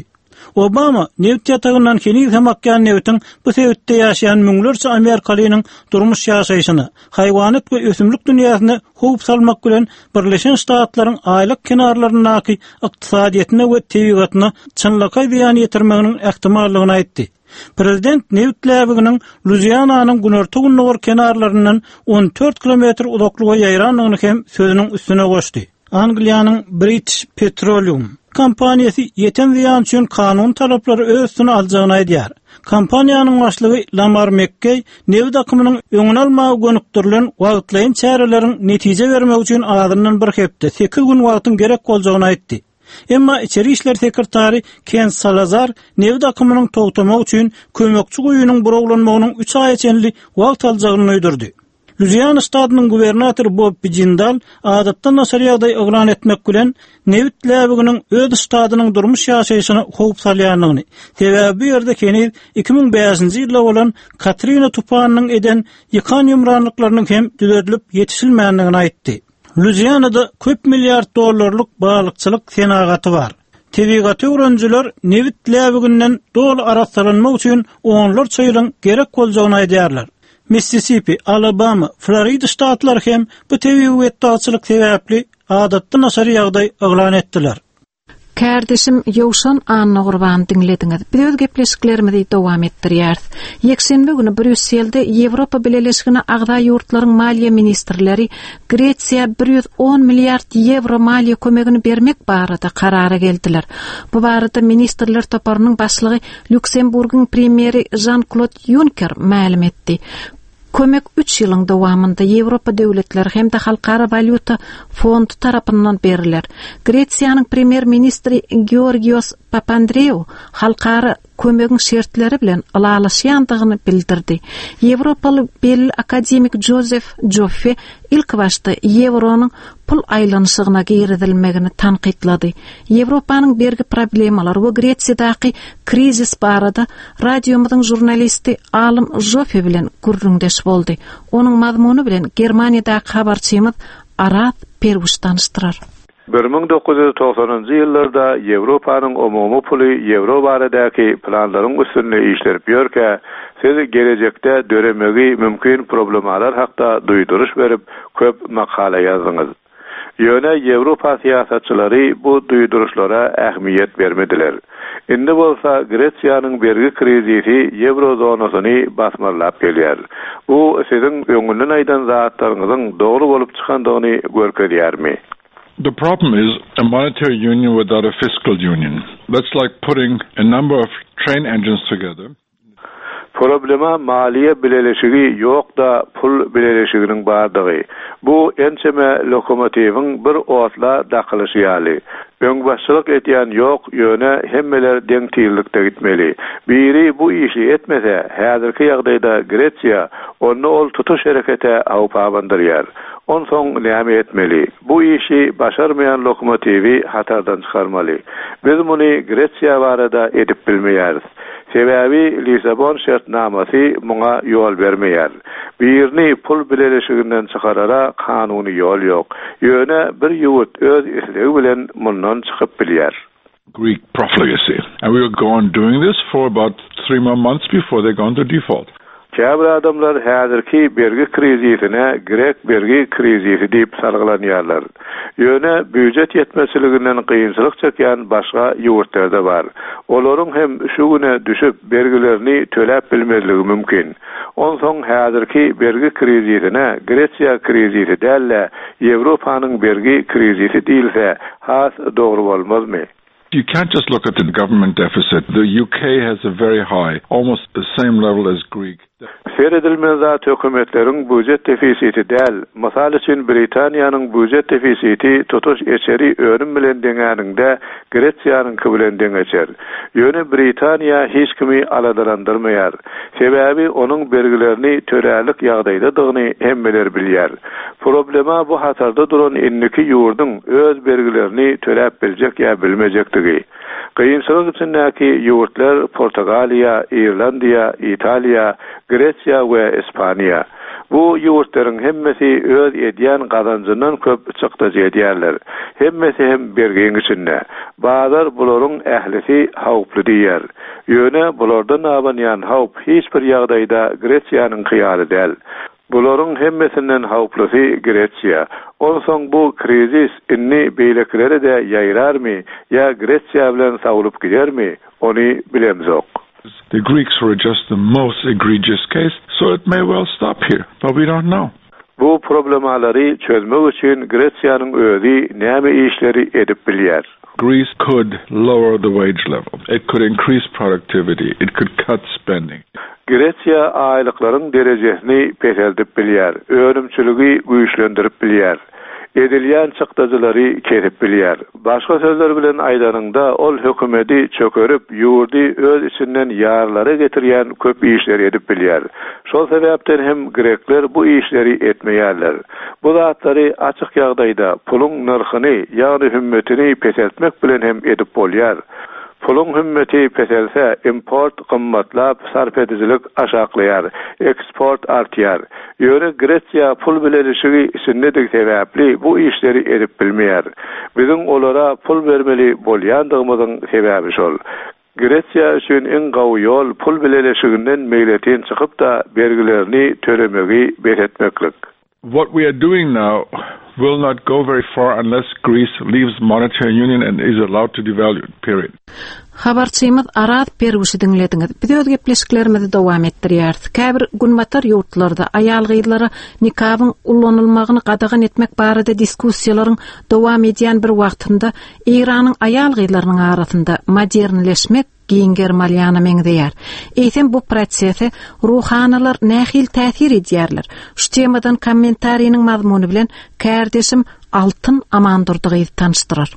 Obama nebit ýatagyndan heniz hem akýan nebitiň bu sebitde ýaşaýan müňlerçe amerikalynyň durmuş ýaşaýşyna, haýwanat we ösümlik dünýäsine howp salmak bilen Birleşen Ştatlaryň aýlak kenarlaryndaky ykdysadyýetine we tebigatyna çynlakaý zyýan ýetirmeginiň ähtimallygyny aýtdy. Prezident nebit läbiginiň Luiziananyň günorta-gündogar kenarlaryndan 14 kilometr uzaklyga ýaýrandygyny hem sözüniň üstüne goşdy. Angliýanyň British Petroleum kompaniýasy ýeten zyýan üçin kanuny talaplary öz üstüne aljagyny aýdýar. Kompaniýanyň başlygy Lamar Mekkeý nebit akymynyň öňüni almaga gönükdirilen wagtlaýyn çäreleriň netije bermegi üçin azyndan bir hepde, sekiz gün wagtyň gerek boljagyny aýtdy. Emma içeri işler sekretary Ken Salazar nebit akymynyň togtamagy üçin kömekçi guýynyň burawlanmagynyň üç aýa çenli wagt aljagyny duýdurdy. Luiziana ştatynyň gubernatory Bobbi Jindal adatdan daşary ýagdaý yglan etmek bilen, nebit läbiginiň öz ştatynyň durmuş-ýaşaýşyna howp salýandygyny, sebäbi bu ýerde heniz 2005-nji ýylda bolan Katrina tupanynyň eden ýykan-ýumranlyklarynyň hem düzedilip ýetişilmändigini aýtdy. Luizianada köp milliard dollarlyk balykçylyk senagaty bar. Tebigaty öwrenijiler nebit läbiginden doly arassalanmak üçin onlarça ýylyň gerek boljagyny aýdýarlar. Missisipi, Alabama, Florida ştatlary hem bu tebigy betbagtçylyk sebäpli adatdan daşary ýagdaý yglan etdiler. Kärdeşim Ýowşan Annagurbany diňlediňiz. Biz öz gepleşiklerimizi dowam etdirýäris. Ýekşenbe güni Brýusselde Ýewropa Bileleşigine agza ýurtlaryň maliýe ministrleri Gresiýa 110 milliard ýewro maliýe kömegini bermek barada karara geldiler. Bu barada ministrler toparynyň başlygy Lýuksemburgyň premýeri Žan-Klod Ýunker mälim etdi. Kömek üç ýylyň dowamynda Ýewropa döwletleri hem-de Halkara walýuta fondy tarapyndan berler. Gresiýanyň premýer-ministri Georgios Papandreou halkara kömegiň şertleri bilen ylalaşýandygyny bildirdi. Ýewropaly belli akademik Jozef Joffe ilkibaşda ýewronyň pul aýlanyşygyna girizilmegini tankytlady. Ýewropanyň bergi problemalary we Gresiýadaky krizis barada radiomyzyň žurnalisti Alym Joffe bilen gürrüňdeş boldy. Onuň mazmuny bilen Germaniýadaky habarçymyz Araz Perwuş tanyşdyrar. 1990-njy ýyllarda Ýewropanyň umumy puly ýewro baradaky planlaryň üstünde işlenip ýörkä, siz gelejekde döremegi mümkin problemalar hakda duýduryş berip, köp makala ýazdyňyz. Ýöne Ýewropa syýasatçylary bu duýduryşlara ähmiýet bermediler. Indi bolsa Gresiýanyň bergi krizisi ýewro zonasyny basmarlap gelýär. Bu siziň öňünden aýdan zatlaryňyzyň dogry bolup çykandygyny görkezýärmi? The problem is a monetary union without a fiscal union. That's like putting a number of train engines together. Problema maliýe bileleşigi ýok-da pul bileleşiginiň bardygy. Bu ençeme lokomotiwiň bir otla dakylyşy ýaly. Öňbaşçylyk edýän ýok, ýöne hemmeler deň tizlikde gitmeli. Biri bu işi etmese, häzirki ýagdaýda Gresiýa, onda ol tutuş herekete howp abandyrýar. Onsoň näme etmeli? Bu işi başarmaýan lokomotiwi hatardan çykarmaly. Biz muny Gresiýa barada edip bilmeýäris. Sebäbi Lissabon şertnamasy muňa ýol bermeýär. Birini pul bileleşiginden çykarara kanuny ýol ýok. Ýöne bir ýurt öz islegi bilen mundan çykyp bilýär. Greek profligacy. And we will go on doing this for about three more months before they go into default. Käbir adamlar häzirki bergi krizisine grek bergi krizisi diýip salgylanýarlar. Ýöne býujet ýetmezçiliginden kynçylyk çekýän başga ýurtlar-da bar. Olaryň hem şu güne düşüp, bergilerini töläp bilmezligi mümkin. Onsoň häzirki bergi krizisine Gresiýa krizisi däl-de, Ýewropanyň bergi krizisi diýilse, has dogry bolmazmy? You can't just look at the government deficit. The UK has a very high, almost the same level as Greek. Seredilmeli zat hökümetleriň býujet defisiti däl. Mysal üçin Britaniýanyň býujet defisiti tutuş içeri önüm bilen deňäniňde Gresiýanyňky bilen deňeçer. Ýöne Britaniýa hiç kimi aladalandyrmaýar. Sebäbi onuň bergilerini tölärlik ýagdaýdadygyny hemmeler bilýär. Problema bu hatarda duran indiki ýurduň öz bergilerini töläp biljek ýa bilmejekdigi. Kynçylyk içindäki ýurtlar Portugaliýa, Irlandiýa, Italiýa, Gresiýa we Ispaniýa. Bu ýurtlaryň hemmesi öz edýän gazanjyndan köp çykdajy edýärler. Hemmesi hem bergiň içinde. Bazar bularyň ählisi howply diýýär. Ýöne bulardan abanýan howp hiç bir ýagdaýda Gresiýanyňky ýaly däl. Bularyň hemmesinden howplusy Gresiýa. Onsoň bu krizis indi beýlekilere-de ýaýrarmy ýa Gresiýa bilen sowlup gidermi, ony bilemzok. The Greeks were just the most egregious case, so it may well stop here, but we don't know. Bu problemalary çözmek üçin Gresiýanyň özi näme işleri edip bilýär? Greece could lower the wage level. It could increase productivity. It could cut spending. Gresiýa aýlyklaryň derejesini peseldip bilýär, önümçiligi güýçlendirip bilýär. Edilýän çykdajylary kesip bilýär. Başga sözler bilen aýdanyňda, ol hökümeti çökerip, ýurdy öz içinden ýarylara getirýän köp işleri edip bilýär. Şol sebäpden hem grekler bu işleri etmeýärler. Bu zatlary açyk ýagdaýda puluň nyrhyny, ýagny hümmetini peseltmek bilen hem edip bolýar. Puluň hümmeti peselse, import gymmatlap, sarp edijilik aşaklaýar, eksport artýar. Ýöne Gresiýa pul bileleşigi içindedigi sebäpli bu işleri edip bilmeýär. Biziň olara pul bermeli bolýandygymyzyň sebäbi şol. Gresiýa üçin iň gawy ýol pul bileleşiginden meýletin çykyp-da bergilerini tölemegi bes etmeklik. What we are doing now will not go very far unless Greece leaves monetary union and is allowed to devalue, period. Habarçymyz Araz Derwüşi diňlediňiz. Biz öz gepleşiklerimizi dowam etdirýäris. Käbir günbatar ýurtlarda aýal-gyzlara nikabyň ulanylmagyny gadagan etmek barada diskussiýalaryň dowam edýän bir wagtynda Eýranyň aýal-gyzlarynyň arasynda modernleşmek giň gerim alýana meňzeýär. Eýsem bu prosese ruhanylar nähili täsir edýärler? Şu temadan kommentariniň mazmuny bilen kärdeşim Altyn Amandurdy gyzy tanyşdyrar.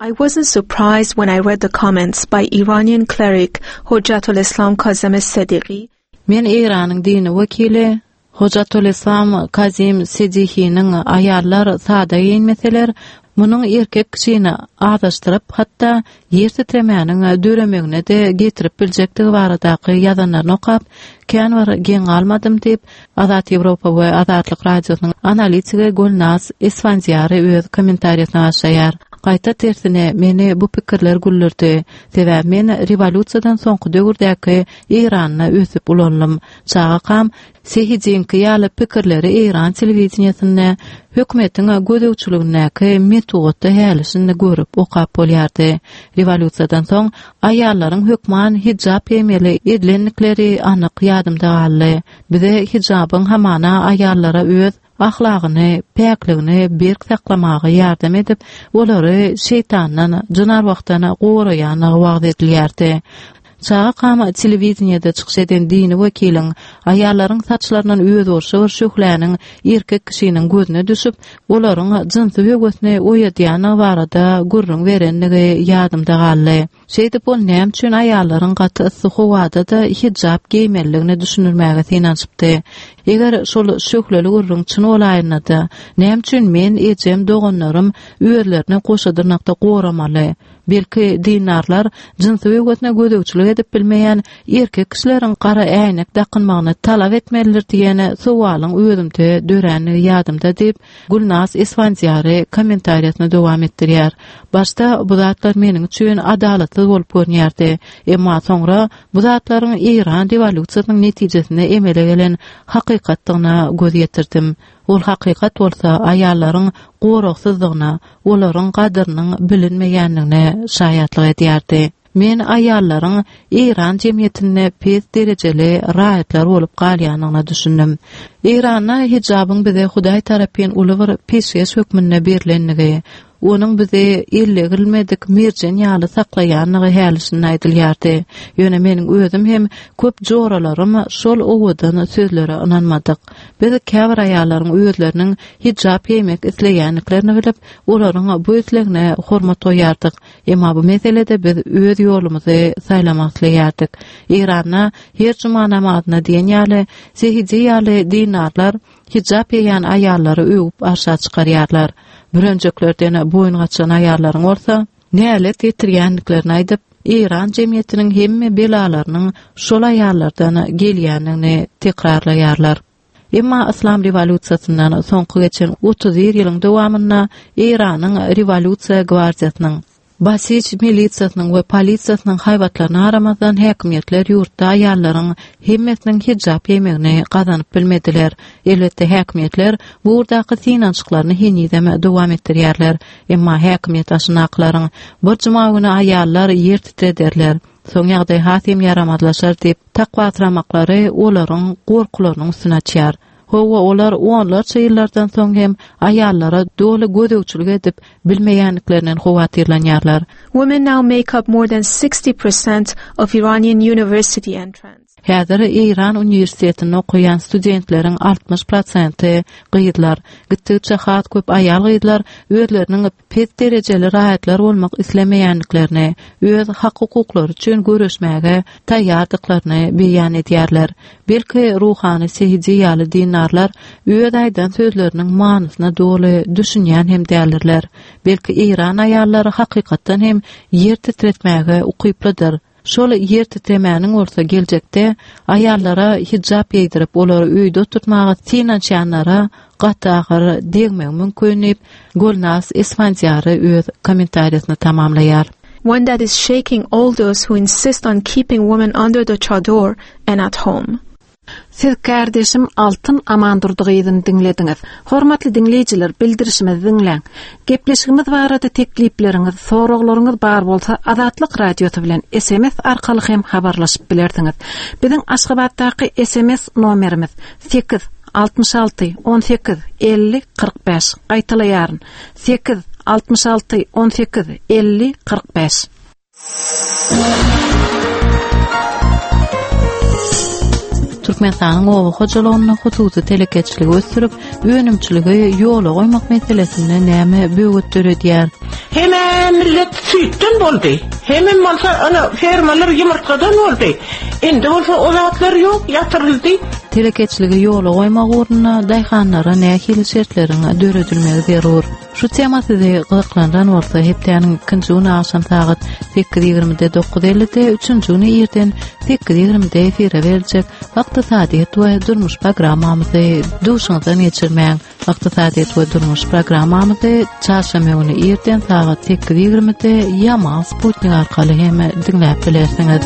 I wasn't surprised when I read the comments by Iranian cleric Hojatoleslam Kazem Sediqi Men Eýranyň dini wekili Hojatoleslam Kazim Sedihiniň aýallar sada geýinmeseler, munuň erkek kişini azaşdyryp, hatda ýer titremäniň döremegine-de getirip biljekdigi baradaky ýazanlaryny okap, kän bir geň galmadym diýip, Azat Ýewropa we Azatlyk Radiosynyň analitigi Gülnaz Isfandiýary öz kommentariýasyna başlaýar. Gaýta tersine, meni bu pikirler güldürdi. Sebäbi men rewolýusiýadan soňky döwürdäki Eýranda ösüp ulaldym. Çagakam Sehidiňki ýaly pikirleri eýran telewideniýesinde, hökümetiň gözegçiligindäki metbugatda häli-şindi görüp, okap bolýardy. Rewolýusiýadan soň aýallaryň hökman hijap geýmeli edilendikleri anyk ýadymda galdy. Bize hijabyň hamana aýallara öz ahlagyny, päkligini berk saklamaga ýardam edip, olary şeýtandan, jyn-arwahdan goraýandygy wagyz edilýärdi. Çagakam telewideniýede çykyş eden dini wekiliň aýallaryň saçlaryndan özboluşly bir şöhläniň erkek kişiniň gözüne düşüp, olaryň jynsy höwesini oýadýandygy barada gürrüň berendigi ýadymda galdy. Şeýdip ol näme üçin aýallaryň gaty yssy howada-da hijap geýmelidigini düşündirmäge synanyşypdy. Eger şol şöhleli gürrüň çyn bolaýanda-da, näme üçin men, ejem, doganlarym özlerini goşa dyrnakda goramaly? Belki, dindarlar jynsy höwesine gözegçilik edip bilmeýän erkek kişileriň gara äýnek dakynmagyny talap etmelidir diýen sowalyň özümde dörändigi ýadymda diýip, Gülnaz Isfandiýary kommentariýasyny dowam etdirýär. Başda bu zatlar meniň üçin adalatsyz bolup görünýärdi. Emma soňra bu zatlaryň Eýran rewolýusiýasynyň netijesinde emele gelen hakykatdygyna göz ýetirdim. Ol hakykat bolsa aýallaryň goragsyzdygyna, olaryň gadyrynyň bilinmeýändigine şaýatlyk edýärdi. Men aýallaryň Eýran jemgyýetinde pes derejeli raýatlar bolup galýandygyna düşündim. Eýranda hijabyň bize Hudaý tarapyn uly bir peşgeş hökmünde berlendigi, onuň bizi ellegirilmedik merjen ýaly saklaýandygy häli-şindi aýdylýardy. Ýöne meniň özüm hem köp joralarym şol owadan sözlere ynanmadyk. Biz käbir aýallaryň özleriniň hijap geýmek isleýändiklerini bilip, olaryň bu islegine hormat goýýardyk. Emma bu meselede biz öz ýolumyzy saýlamak isleýärdik. Eýranda her juma namazyna diýen ýaly Sehidi ýaly dindarlar hijap geýýän aýallary öwüp arşa çykarýarlar. Bürenjeklerden boýun gaçyran aýallaryň bolsa nälet getirýändiklerini aýdyp, Eýran jemgyýetiniň hemme belalarynyň şol aýallardan gelýändigini tekrarlaýarlar. Emma Yslam rewolýusiýasyndan soňky geçen 31 ýylyň dowamynda Eýranyň rewolýusiýa gwardiýasynyň, Basij milisiýasynyň we polisiýasynyň haýbatlaryna garamazdan häkimiýetler ýurtda aýallaryň hemmesiniň hijap geýmegini gazanyp bilmediler. Elbetde häkimiýetler bu ugurdaky synanyşyklaryny henizem dowam etdirýärler. Emma häkimiýet başyndakylaryň bir juma güni aýallar ýer titrederler, soň ýagdaý has hem ýaramazlaşar diýip takwasyramaklary olaryň gorkularynyň üstüni açýar. Hawa, olar onlarça ýyllardan soň hem aýallara doly gözegçilik edip bilmeýändiklerinden howatyrlanýarlar. Women now make up more than 60 percent of Iranian university entrants. Häzir Eýran uniwersitetinde okaýan studentleriň 60 prosenti gyzlar. Gitdigiçe has köp aýal-gyzlar özleriniň pes derejeli raýatlar bolmak islemeýändiklerini, öz hak-hukuklary üçin göreşmäge taýýardyklaryny beýan edýärler. Belki, ruhany Sehidi ýaly dindarlar öz aýdan sözleriniň manysyna doly düşünýän hem däldirler. Belki, eýran aýallary hakykatdan hem ýer titretmäge ukyplydyr. Şol ýer titremäniň bolsa geljekde aýallara hijap geýdirip, olary öýde oturtmaga synanyşýanlara gaty agyr degmegi mümkin diýip, Gulnaz Isfandiýary öz kommentariýasyny tamamlaýar. One that is shaking all those who insist on keeping women under the chador and at home. Siz kärdeşim Altyn Amandurdy gyzyny diňlediňiz. Hormatly diňleýjiler, bildirişimizi diňläň. Gepleşigimiz barada teklipleriňiz, soraglaryňyz bar bolsa Azatlyk Radiosy bilen sms arkaly hem habarlaşyp bilersiňiz. Biziň Aşgabatdaky sms nomerimiz, sekiz, 66, 18, 50, 45. Gaýtalaýaryn, sekiz, 66, 18, 50, 45. Türkmenistanyň oba hojalygynda hususy telekeçiligi ösdürip, önümçiligi ýola goýmak meselesinde näme böwet döredýär? Hemem millet süýtden boldy. Hemem bolsa ana fermalar ýumurtgadan boldy. Indi bolsa o zatlar ýok, ýatyryldy. Telekeçiligi ýola goýmak ugrunda daýhanlara nähili şertleriň döredilmegi zerur? Şu tema sizi gyzyklandyran bolsa, hepdäniň ikinji güni agşam sagat 8:20-de 9:50-de, üçünji güni irden 8:20-de efire beriljek Ykdysadyýet we durmuş programmamyzy duşuňyzdan geçirmäň. Ykdysadyýet we durmuş programmamyzy çarşenbe güni irden sagat 8:20-de Ýamal Sputnik arkaly hem diňläp bilersiňiz.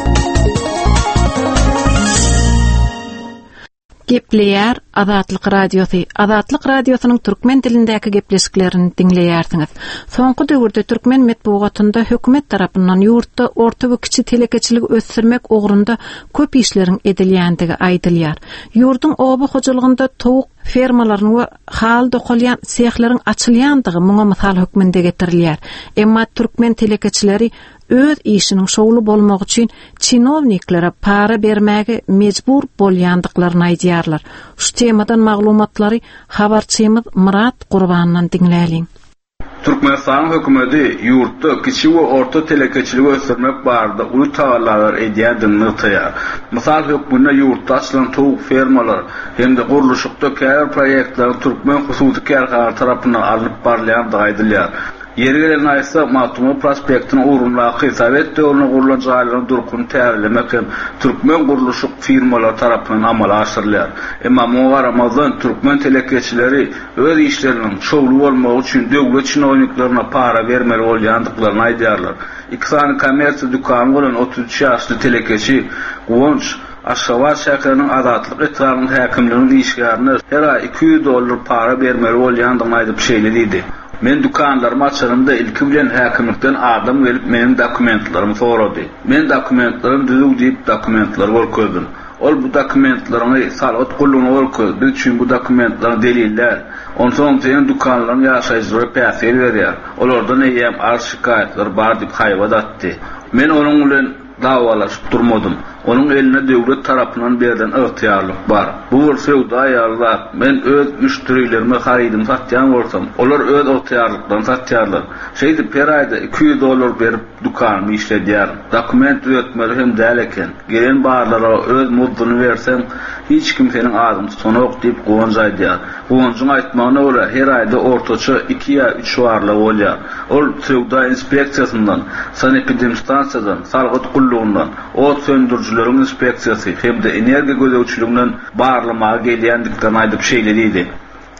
Gepleýär Azatlyk Radiosy, Azatlyk Radiosynyň türkmen dilindäki gepleşiklerini diňleýärsiňiz. Soňky döwürde türkmen metbugatynda hökümet tarapyndan ýurtda orta we kiçi telekeçiligi ösdürmek ugrunda köp işleriň edilýändigi aýdylýar. Ýurduň oba hojalygynda towuk fermalarynyň we haly dokalýan sehleriň açylýandygy muňa mysal hökmünde getirilýär. Emma türkmen telekeçileri öz işiniň şowly bolmagy üçin çinowniklere para bermäge mejbur bolýandyklaryny aýdýarlar. Şu temadan maglumatlary habarçymyz Myrat Gurbandan diňläliň. Türkmenistanyň hökümeti ýurtda kiçi we orta telekeçiligi ösdürmek barada uly tagallalar edýändigini nygtaýar. Mysal hökmünde ýurtda açylan towuk fermalar hem-de gurluşykda käbir proýektleriň türkmen hususy kärhanalary tarapyndan alnyp barylýandygy aýdylýar. Ýeri gelende aýtsak, Magtymguly prospektiniň ugrundaky sowet döwründe gurlan jaýlaryň durkuny täzelemek hem türkmen gurluşyk firmalary tarapyndan amala aşyrylýar. Emma muňa garamazdan, türkmen telekeçileri öz işleriniň şowly bolmagy üçin döwlet çinowniklerine para bermeli bolýandyklaryny aýdýarlar. Iki sany kommersiýa dükany bolan 33 ýaşly telekeçi Guwanç Aşgabat şäheriniň Azatlyk etrabynyň häkimliginiň işgärine her aý 200 dollar para bermeli bolýandygyny aýdyp şeýle diýdi, Men dükanlarymy açanymda ilki bilen häkimlikden adam gelip meniň dokumentlerimi sorady. Men dokumentlerim düzüw diýip dokumentleri görkezdim. Ol bu dokumentleriňi salgyt gullugyna görkez, biz üçin bu dokumentleriň delil däl. Onsoňam seniň dükanlaryň ýaşaýjylara päsgel berýär. Olardan eýýäm arz-şikaýatlar bar diýip haýbat atdy. Men onuň bilen dawalaşyp durmadym. Onuň elinde döwlet tarapyndan berlen ygtyýarlyk bar. Bu bir söwda ýaly zat. Men öz müşderilerime harydymy satýan bolsam, olar öz ygtyýarlyklaryny satýarlar. Şeýdip her aýda 200 dollar berip dükanymy işledýärin. Dokument düzetmeli hem däl eken. Gelen barlara öz muzduny berseň, hiç kim seniň adyňy tutanok diýip, Guwanç aýdýar. Guwanjyň aýtmagyna görä, her aýda ortaça iki ýa üç barlag bolýar. Ol söwda inspeksiýasyndan, sanepidemstansiýadan, salgyt gullugyndan, ot söndürijileriň inspeksiýasy hem-de energiýa gözegçiliginden barlamaga gelýändiklerini aýdyp şeýle diýdi,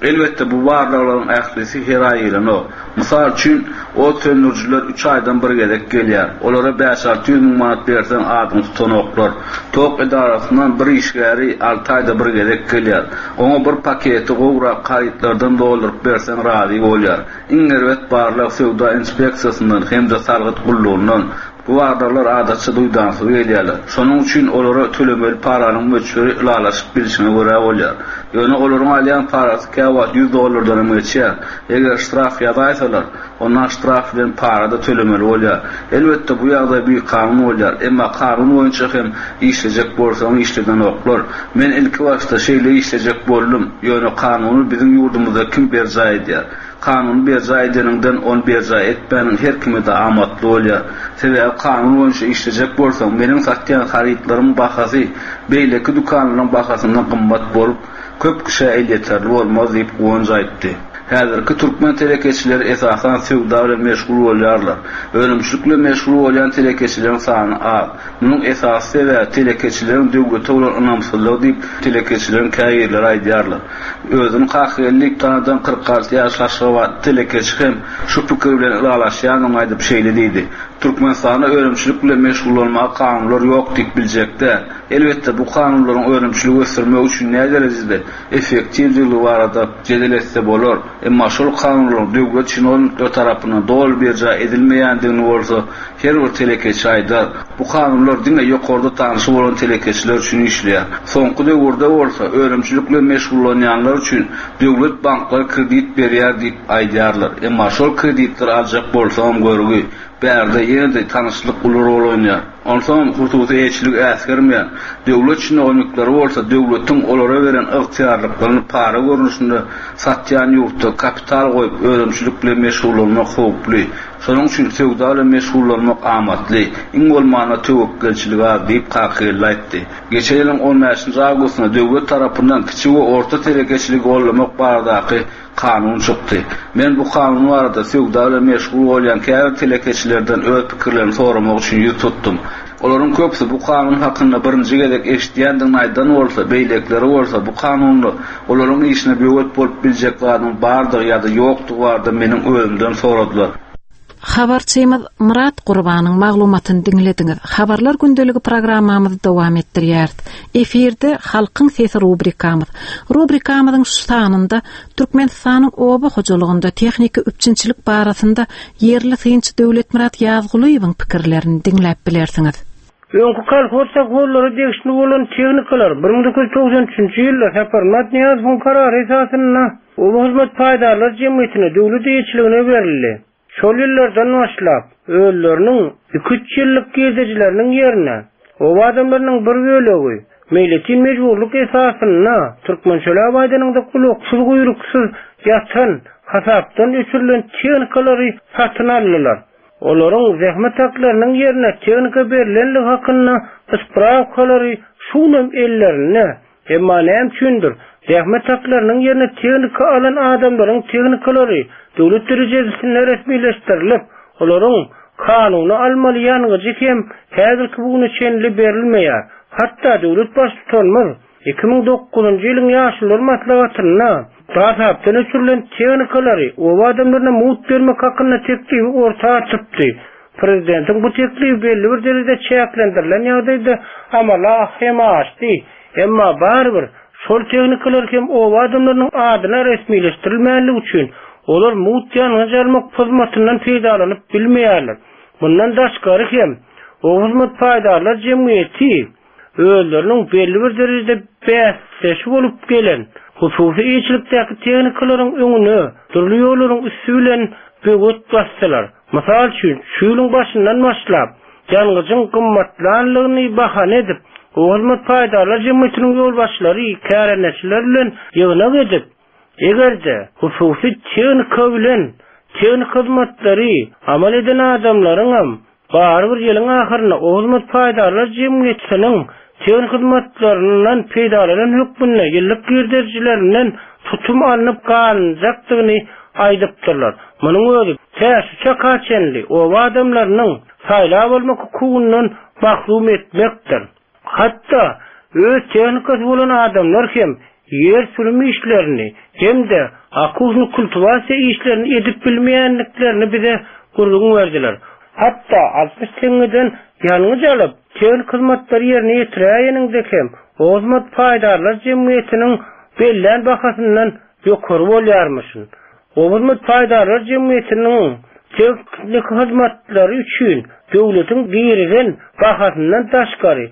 Elbetde, bu barlaglaryň ählisi her aý gelenok. Mysal üçin, ot söndürijiler üç aýdan bir gezek gelýär. Olara bäş-alty ýüz müň manat berseň adyňy tutanoklar. Tok edarasyndan bir işgäri alty aýda bir gezek gelýär. Oňa bir paketi gowrak harytlardan dolduryp berseň razy bolýar. Iň erbet barlag söwda inspeksiýasyndan hem-de salgyt gullugyndan. Bu barlaglar adatça duýdansyz gelýärler. Şonuň üçin olara tölemeli paranyň möçberi ylalaşyp bilşiňe görä bolýar. Ýöne olaryň alýan parasy käwagt 100 dollardan hem geçýär. Eger ştraf ýazaýsalar, onda ştraf bilen para-da tölemeli bolýar. Elbetde, bu ýagdaý bikanun bolýar. Emma kanun boýunça hem işlejek bolsaň işledenoklar. Men ilkibaşda şeýle işlejek boldum. Ýöne kanuny biziň ýurdumyzda kim berjaý edýär? Kanuny berjaý edeniňden ony berjaý etmäniň her kime-de amatly bolýar. Sebäbi kanun boýunça işlejek bolsaň, meniň satýan harytlarymyň bahasy beýleki dükanlaryň bahasyndan gymmat bolup, köp kişä elýeterli bolmaz diýip, Guwanç aýtdy. Häzirki türkmen telekeçileri esasan söwda bilen meşgul bolýarlar. Önümçilik bilen meşgul bolýan telekeçileriň sany az. Munuň esasy sebäbi telekeçileriň döwlete bolan ynamsyzlygy diýip, telekeçileriň käbirleri aýdýarlar. Özüni Kakageldi diýip tanadan 46 ýaşly aşgabatly telekeçi hem şu pikir bilen ylalaşýandygyny aýdyp şeýle diýdi, Türkmenistanda önümçilik bilen meşgullanmaga kanunlar ýok diýip biljek däl. Elbetde, bu kanunlaryň önümçiligi ösdürmek üçin näderejede effektiwdigiligi barada jedel etse bolar, emma şol kanunlaryň döwlet çinownikleri tarapyndan doly berjaý edilmeýändigini bolsa her bir telekeçi aýdar. Bu kanunlar diňe ýokarda tanşy bolan telekeçiler üçin işleýär. Soňky döwürde bolsa önümçilik bilen meşgullanýanlar üçin döwlet banklary kredit berýär diýip aýdýarlar. Emma şol kreditleri aljak bolsaňam görgi. Bärde ýene-de tanyşlyk uly rol oýnaýar. Onsoňam hususy eýeçiligi äsgermeýän döwlet çinownikleri bolsa döwletiň olara beren ygtyýarlyklaryny para görnüşinde satýan ýurtda kapital goýup önümçilik bilen meşgullanmak howply. Şonuň üçin söwda bilen meşgullanmak amatly, iň bolmanda töwekgelçilik az diýip Kakageldi aýtdy. Geçen ýylyň on bäşinji awgustynda döwlet tarapyndan kiçi we orta telekeçiligi goldamak baradaky kanun çykdy. Men bu kanun barada söwda bilen meşgul bolýan käbir telekeçilerden öz pikirlerini soramak üçin ýüz tutdum. Olaryň köpüsi bu kanun hakynda birinji gezek eşidýändigini aýdan bolsa, beýlekileri bolsa bu kanunda olaryň işine böwet bolup biljek zadyň bardygy ýa-da ýokdugy barada meniň özümden soradylar. Habarçymyz Myrat Gurbanyň maglumatyny diňlediňiz. Habarlar gündeligi programmamyzy dowam etdirýäris. Efirde Halkyň sesi rubrikamyz. Rubrikamyzyň şu sanynda Türkmenistanyň oba hojalygynda tehniki üpjünçilik barasynda ýerli synçy Döwletmyrat Ýazgulyýewiň pikirlerini diňläp bilersiňiz. Öňki kolhoz-sowhozlara degişli bolan tehnikalar 1993-nji ýylda Saparmyrat Nyýazowyň karary esasynda Oba hyzmat paýdarlar jemgyýetine döwlet eýeçiligine berildi. Şol ýyllardan başlap, özleriniň iki-üç ýyllyk girdejileriniň ýerine, oba adamlarynyň bir bölegi meýletin mejburlyk esasynda türkmençeläp aýdanyňda gulaksyz-guýruksyz ýatan, hasapdan öçürilen tehnikalary satyn aldylar. Olaryň zähmet haklarynyň ýerine tehnika berlenligi hakynda sprawkalary şu günem ellerinde. Emma näme üçindir, zähmet haklarynyň ýerine tehnika alan adamlaryň tehnikalary döwlet derejesinde resmileşdirilip, olaryň kanuny almaly ýangyjy hem häzirki bu güne çenli berilmeýär. Hatda döwlet Baştutanymyz 2009-njy ýylyň Ýaşulular maslahatynda hasapdan öçürilen tehnikalary oba adamlaryna mugt bermek hakynda teklibi orta atypdy. Prezidentiň bu teklibi belli bir derejede çäklendirilen ýagdaýda amala hem aşdy. Emma barybir, şol tehnikalar hem oba adamlarynyň adyna resmileşdirilmänligi üçin, olar mugt ýangyç almak hyzmatyndan peýdalanyp bilmeýärler. Mundan daşgary hem, Oba hyzmat paýdarlar jemgyýeti özleriniň belli bir derejede bäsdeşi bolup gelen hususy eýeçilikdäki tehnikalaryň öňüne dürli ýollaryň üsti bilen böwet basdylar. Mysal üçin, şu ýylyň başyndan başlap, ýangyjyň gymmatlanlygyny bahana edip, Oba hyzmat paýdarlar jemgyýetiniň ýolbaşçylary kärendeçiler bilen ýygnak edip, eger-de hususy tehnika bilen tehniki hyzmatlary amal eden adamlaryňam Barybir ýylyň ahyrynda Oba hyzmat paýdarlar jemgyýetiniň tehniki hyzmatlaryndan peýdalanan hökmünde ýyllyk girdejilerinden tutum alnyp galynjakdygyny aýdypdyrlar. Munuň özi tä şu çaka çenli oba adamlarynyň saýlap almak hukugyndan mahrum etmekdir. Hatda öz tehnikasy bolan adamlar hem ýer sürüm işlerini hem-de okuwny kultiwasiýa işlerini edip bilmeýändiklerini bize gürrüň berdiler. Hatda 60 teňňeden ýangyç alyp, tehniki hyzmatlary ýerine ýetiräýeniňde hem Oba hyzmat paýdarlar jemgyýetiniň bellän bahasyndan ýokary bolýarmyşyn. Oba hyzmat paýdarlar jemgyýetiniň tehniki hyzmatlary üçin. döwletiň girizen bahasyndan daşgary,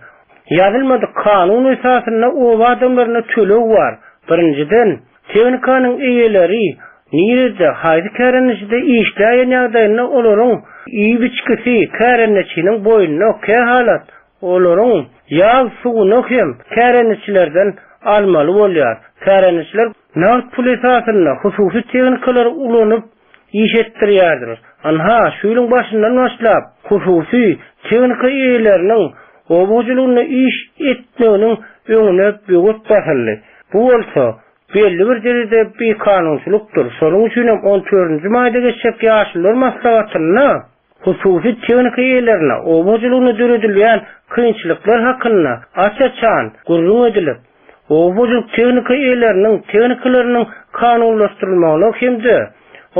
ýazylmadyk kanun esasynda oba adamlaryna töleg bar. Birinjiden, tehnikanyň eýeleri nirede, haýsy kärendeçide işläýen ýagdaýynda olaryň iýip-içgisi kärendeçiniň boýnuna, kähalat olaryň ýag suwuny hem kärendeçilerden almaly bolýar. Kärendeçiler nagt pul esasynda hususy tehnikalary ulanyp iş etdirýärdiler. Ynha, şu ýylyň başyndan başlap, hususy tehnika eýeleriniň oba hojalygynda iş etmeginiň öňüne böwet basyldy. Bu bolsa, belli bir derejede bikanunçylykdyr. Şonuň üçin hem on dördünji maýda geçjek Ýaşulular maslahatynda hususy tehnika eýelerine oba hojalygynda döredilýän kynçylyklar hakynda aç-açan gürrüň edilip, oba hojalyk tehnika eýeleriniň tehnikalarynyň kanunlaşdyrylmagyna hem-de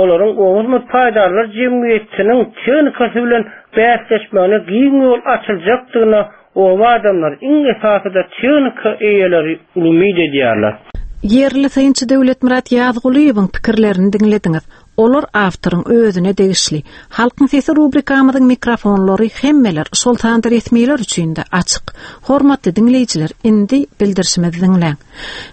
olaryň oba hyzmat paýdarlar jemgyýetiniň tehnikasy bilen bäsleşmegine giň ýol açyljakdygyna oba adamlary, iň esasy-da tehnika eýeleri umyt edýärler. Ýerli synçy Döwletmyrat Ýazgulyýewiň pikirlerini diňlediňiz. Olar awtoryň özüne degişli. Halkyň sesi rubrikamyzyň mikrofonlary hemmeler, şol sanda resmiler üçin-de açyk. Hormatly diňleýjiler, indi bildirişimizi diňläň.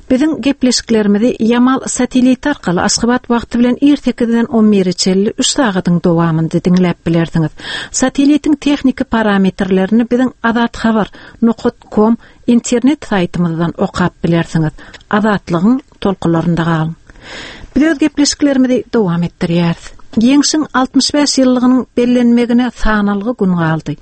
Biziň gepleşiklerimizi Ýamal sateliti arkaly Aşgabat wagty bilen ir sekizden on bire çenli üç sagadyň dowamynda diňläp bilersiňiz. Satelitiň tehniki parametrlerini biziň Azathabar. Nokat kom internet saýtymyzdan okap bilersiňiz. Azatlygyň tolkunlarynda galyň. Biz öz gepleşiklerimizi dowam etdirýäris. Ýeňşiň 65 ýyllygynyň bellenmegine sanalgy gün galdy.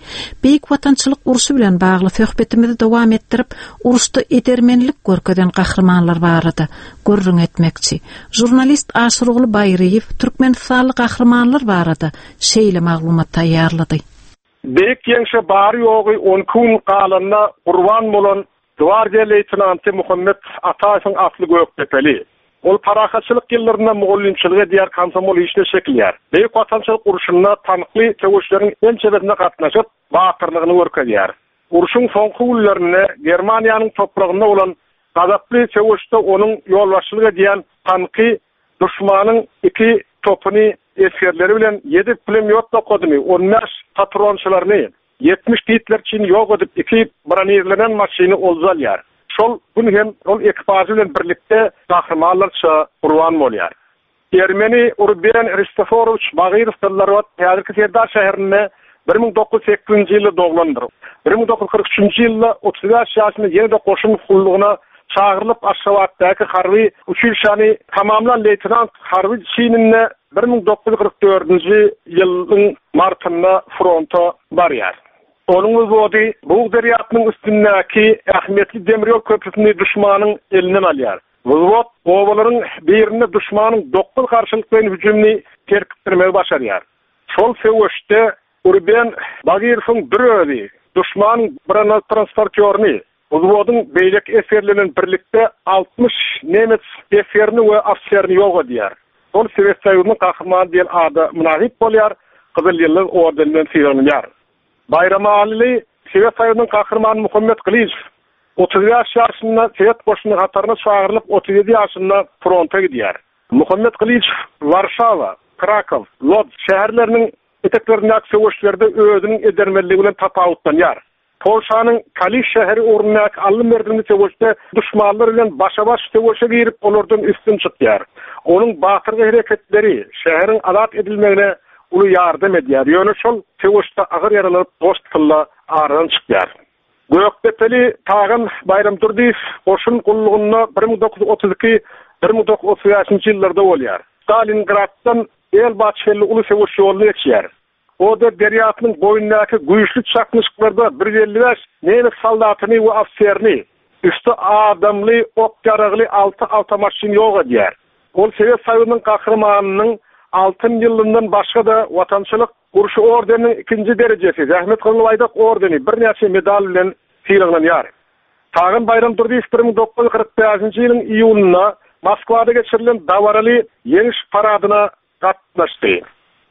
Beýik Watançylyk urşy bilen bagly söhbetimizi dowam etdirip, uruşda edermenlik görkezen gahrymanlar barada gürrüň etmekçi. Žurnalist Aşyrguly Baýryýew türkmenistanly gahrymanlar barada şeýle maglumat taýýarlady. Beýik Ýeňşe bary-ýogy on iki gün galanda gurban bolan Gwardiýa leýtenanty Muhammet Ataýewiň asly gökdepeli. Ol parahatçylyk ýyllarynda mugallymçylyk edýär, komsomol işine çekilýär. Beýik Watançylyk urşunda tankly söweşleriň ençemesine gatnaşyp, batyrlygyny görkezýär. Urşuň soňky günlerinde Germaniýanyň topragynda bolan gazaply söweşde onuň ýolbaşçylyk edýän tanky duşmanyň iki topuny esgerleri bilen ýedi pulemýot nokadyny, on bäş patronçylaryny, 70 gitlerçini ýok edip, iki bronirlenen maşyny olja alýar. Şol gün hem ol ekipažy bilen birlikde gahrymanlarça gurban bolýar. Ermeni Ruben Hristoforowiç Bagyrow Gyzlarbat häzirki Serdar şäherinde 1908-nji ýylda doglandyr. 1943-nji ýylda 35 ýaşynda ýene-de goşun gullugyna çagyrylyp Aşgabatdaky harby uçilişäni tamamlan leýtenant harby çininde 1944-nji ýylyň martynda fronta barýar. Onuň wzwody Bug derýasynyň üstündäki ähmiýetli demir ýol köprüsini duşmanyň elinden alýar. Wzwod obalaryň birinde duşmanyň dokuz garşylyklaýyn hüjümini serpikdirmegi başarýar. Şol söweşde Urben Bagyrowyň bir özi duşmanyň bronetransportýoryny, Wzwodyň beýleki esgerleri bilen birlikde 60 nemes esgerini we ofiserini ýok edýär. Ol Sowet Soýuzynyň Gahrymany diýen ada mynasyp bolýar, Gyzyl Ýyldyz ordeni bilen sylaglanýar. Baýramalyly Sowet Soýuzynyň Gahrymany Muhammet Gylyjow 35 ýaşynda Sowet goşunynyň hataryna çagyrylyp, 37 ýaşynda fronta gidýär. Muhammet Gylyjow Warşawa, Krakow, Lodz şäherleriniň eteklerindäki söweşlerde özüniň edermenligi bilen tapawutlanýar. Polşanyň Kaliş şäheri ugrundaky alny-merdimli söweşde duşmanlar bilen başa-baş söweşe girip, olardan üstün çykýar. Onuň batyrgaý hereketleri şäheriň azat edilmegine uly ýardam edýär, ýöne şol söweşde agyr ýaralanyp, gospitalda aradan çykýar. Gökdepeli Tagan Baýramdurdyýew goşun gullugynda 1932, 1935-nji ýyllarda bolýar. Stalingraddan Elba çenli uly söweş ýoluny geçýär. Oder derýasynyň boýundaky güýçli çaknyşyklarda 155 nemes soldatyny we ofiserini, üsti adamly ok-ýaragly alty awtomaşyn ýok edýär. Ol Sowet Soýuzynyň Gahrymanynyň Altyn ýyldyndan başga-da Watançylyk urşy ordeniniň ikinji derejesi, Zähmet Gyzyl Baýdak ordeni, birnäçe medal bilen sylaglanýar. Tagan Baýramdurdyýew 1945-nji ýylyň iýulynda Moskwada geçirilen dabaraly Ýeňiş paradyna gatnaşdy.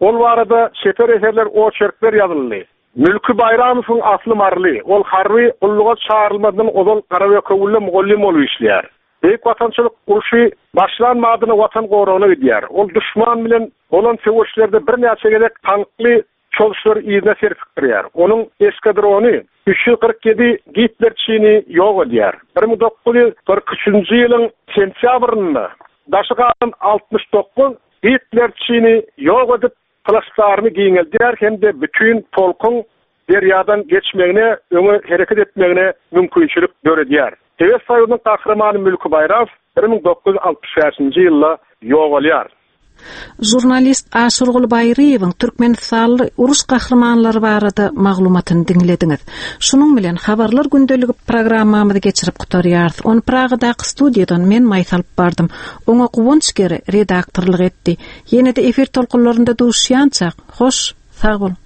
Ol barada çeper eserler, oçerkler ýazyldy. Mülki Baýramowyň asly maryly. Ol harby gulluga çagyrylmazdan ozal Garabökewülde mugallym bolup işleýär. Beýik Watançylyk urşy başlan badyna Watan goragyna gidýär. Ol duşman bilen bolan söweşlerde birnäçe gezek tankly. çozuşlary yzyna serpikdirýär. Onuň eskadrony 347 gitlerçini ýok edýär. 1943-nji ýylyň sentýabrynda daşy galan 69 gitlerçini ýok edip, plaçdarymy giňeldýär hem-de bütin polkuň derýadan geçmegine, öňe hereket etmegine mümkinçilik döredýär. Sowet Soýuzynyň Gahrymany Mülki Baýramow 1965-nji ýylda ýogalýar. Žurnalist Aşyrguly Baýryýewiň türkmenistanly uruş gahrymanlary barada maglumatyny diňlediňiz. Şunuň bilen Habarlar gündeligi programmamyzy geçirip gutarýarys. Ony Pragadaky studiýadan men Maýsa alyp bardym. Oňa Guwanç Gere redaktorlyk etdi. Ýene-de efir tolkunlarynda duşýançak, hoş, sag boluň!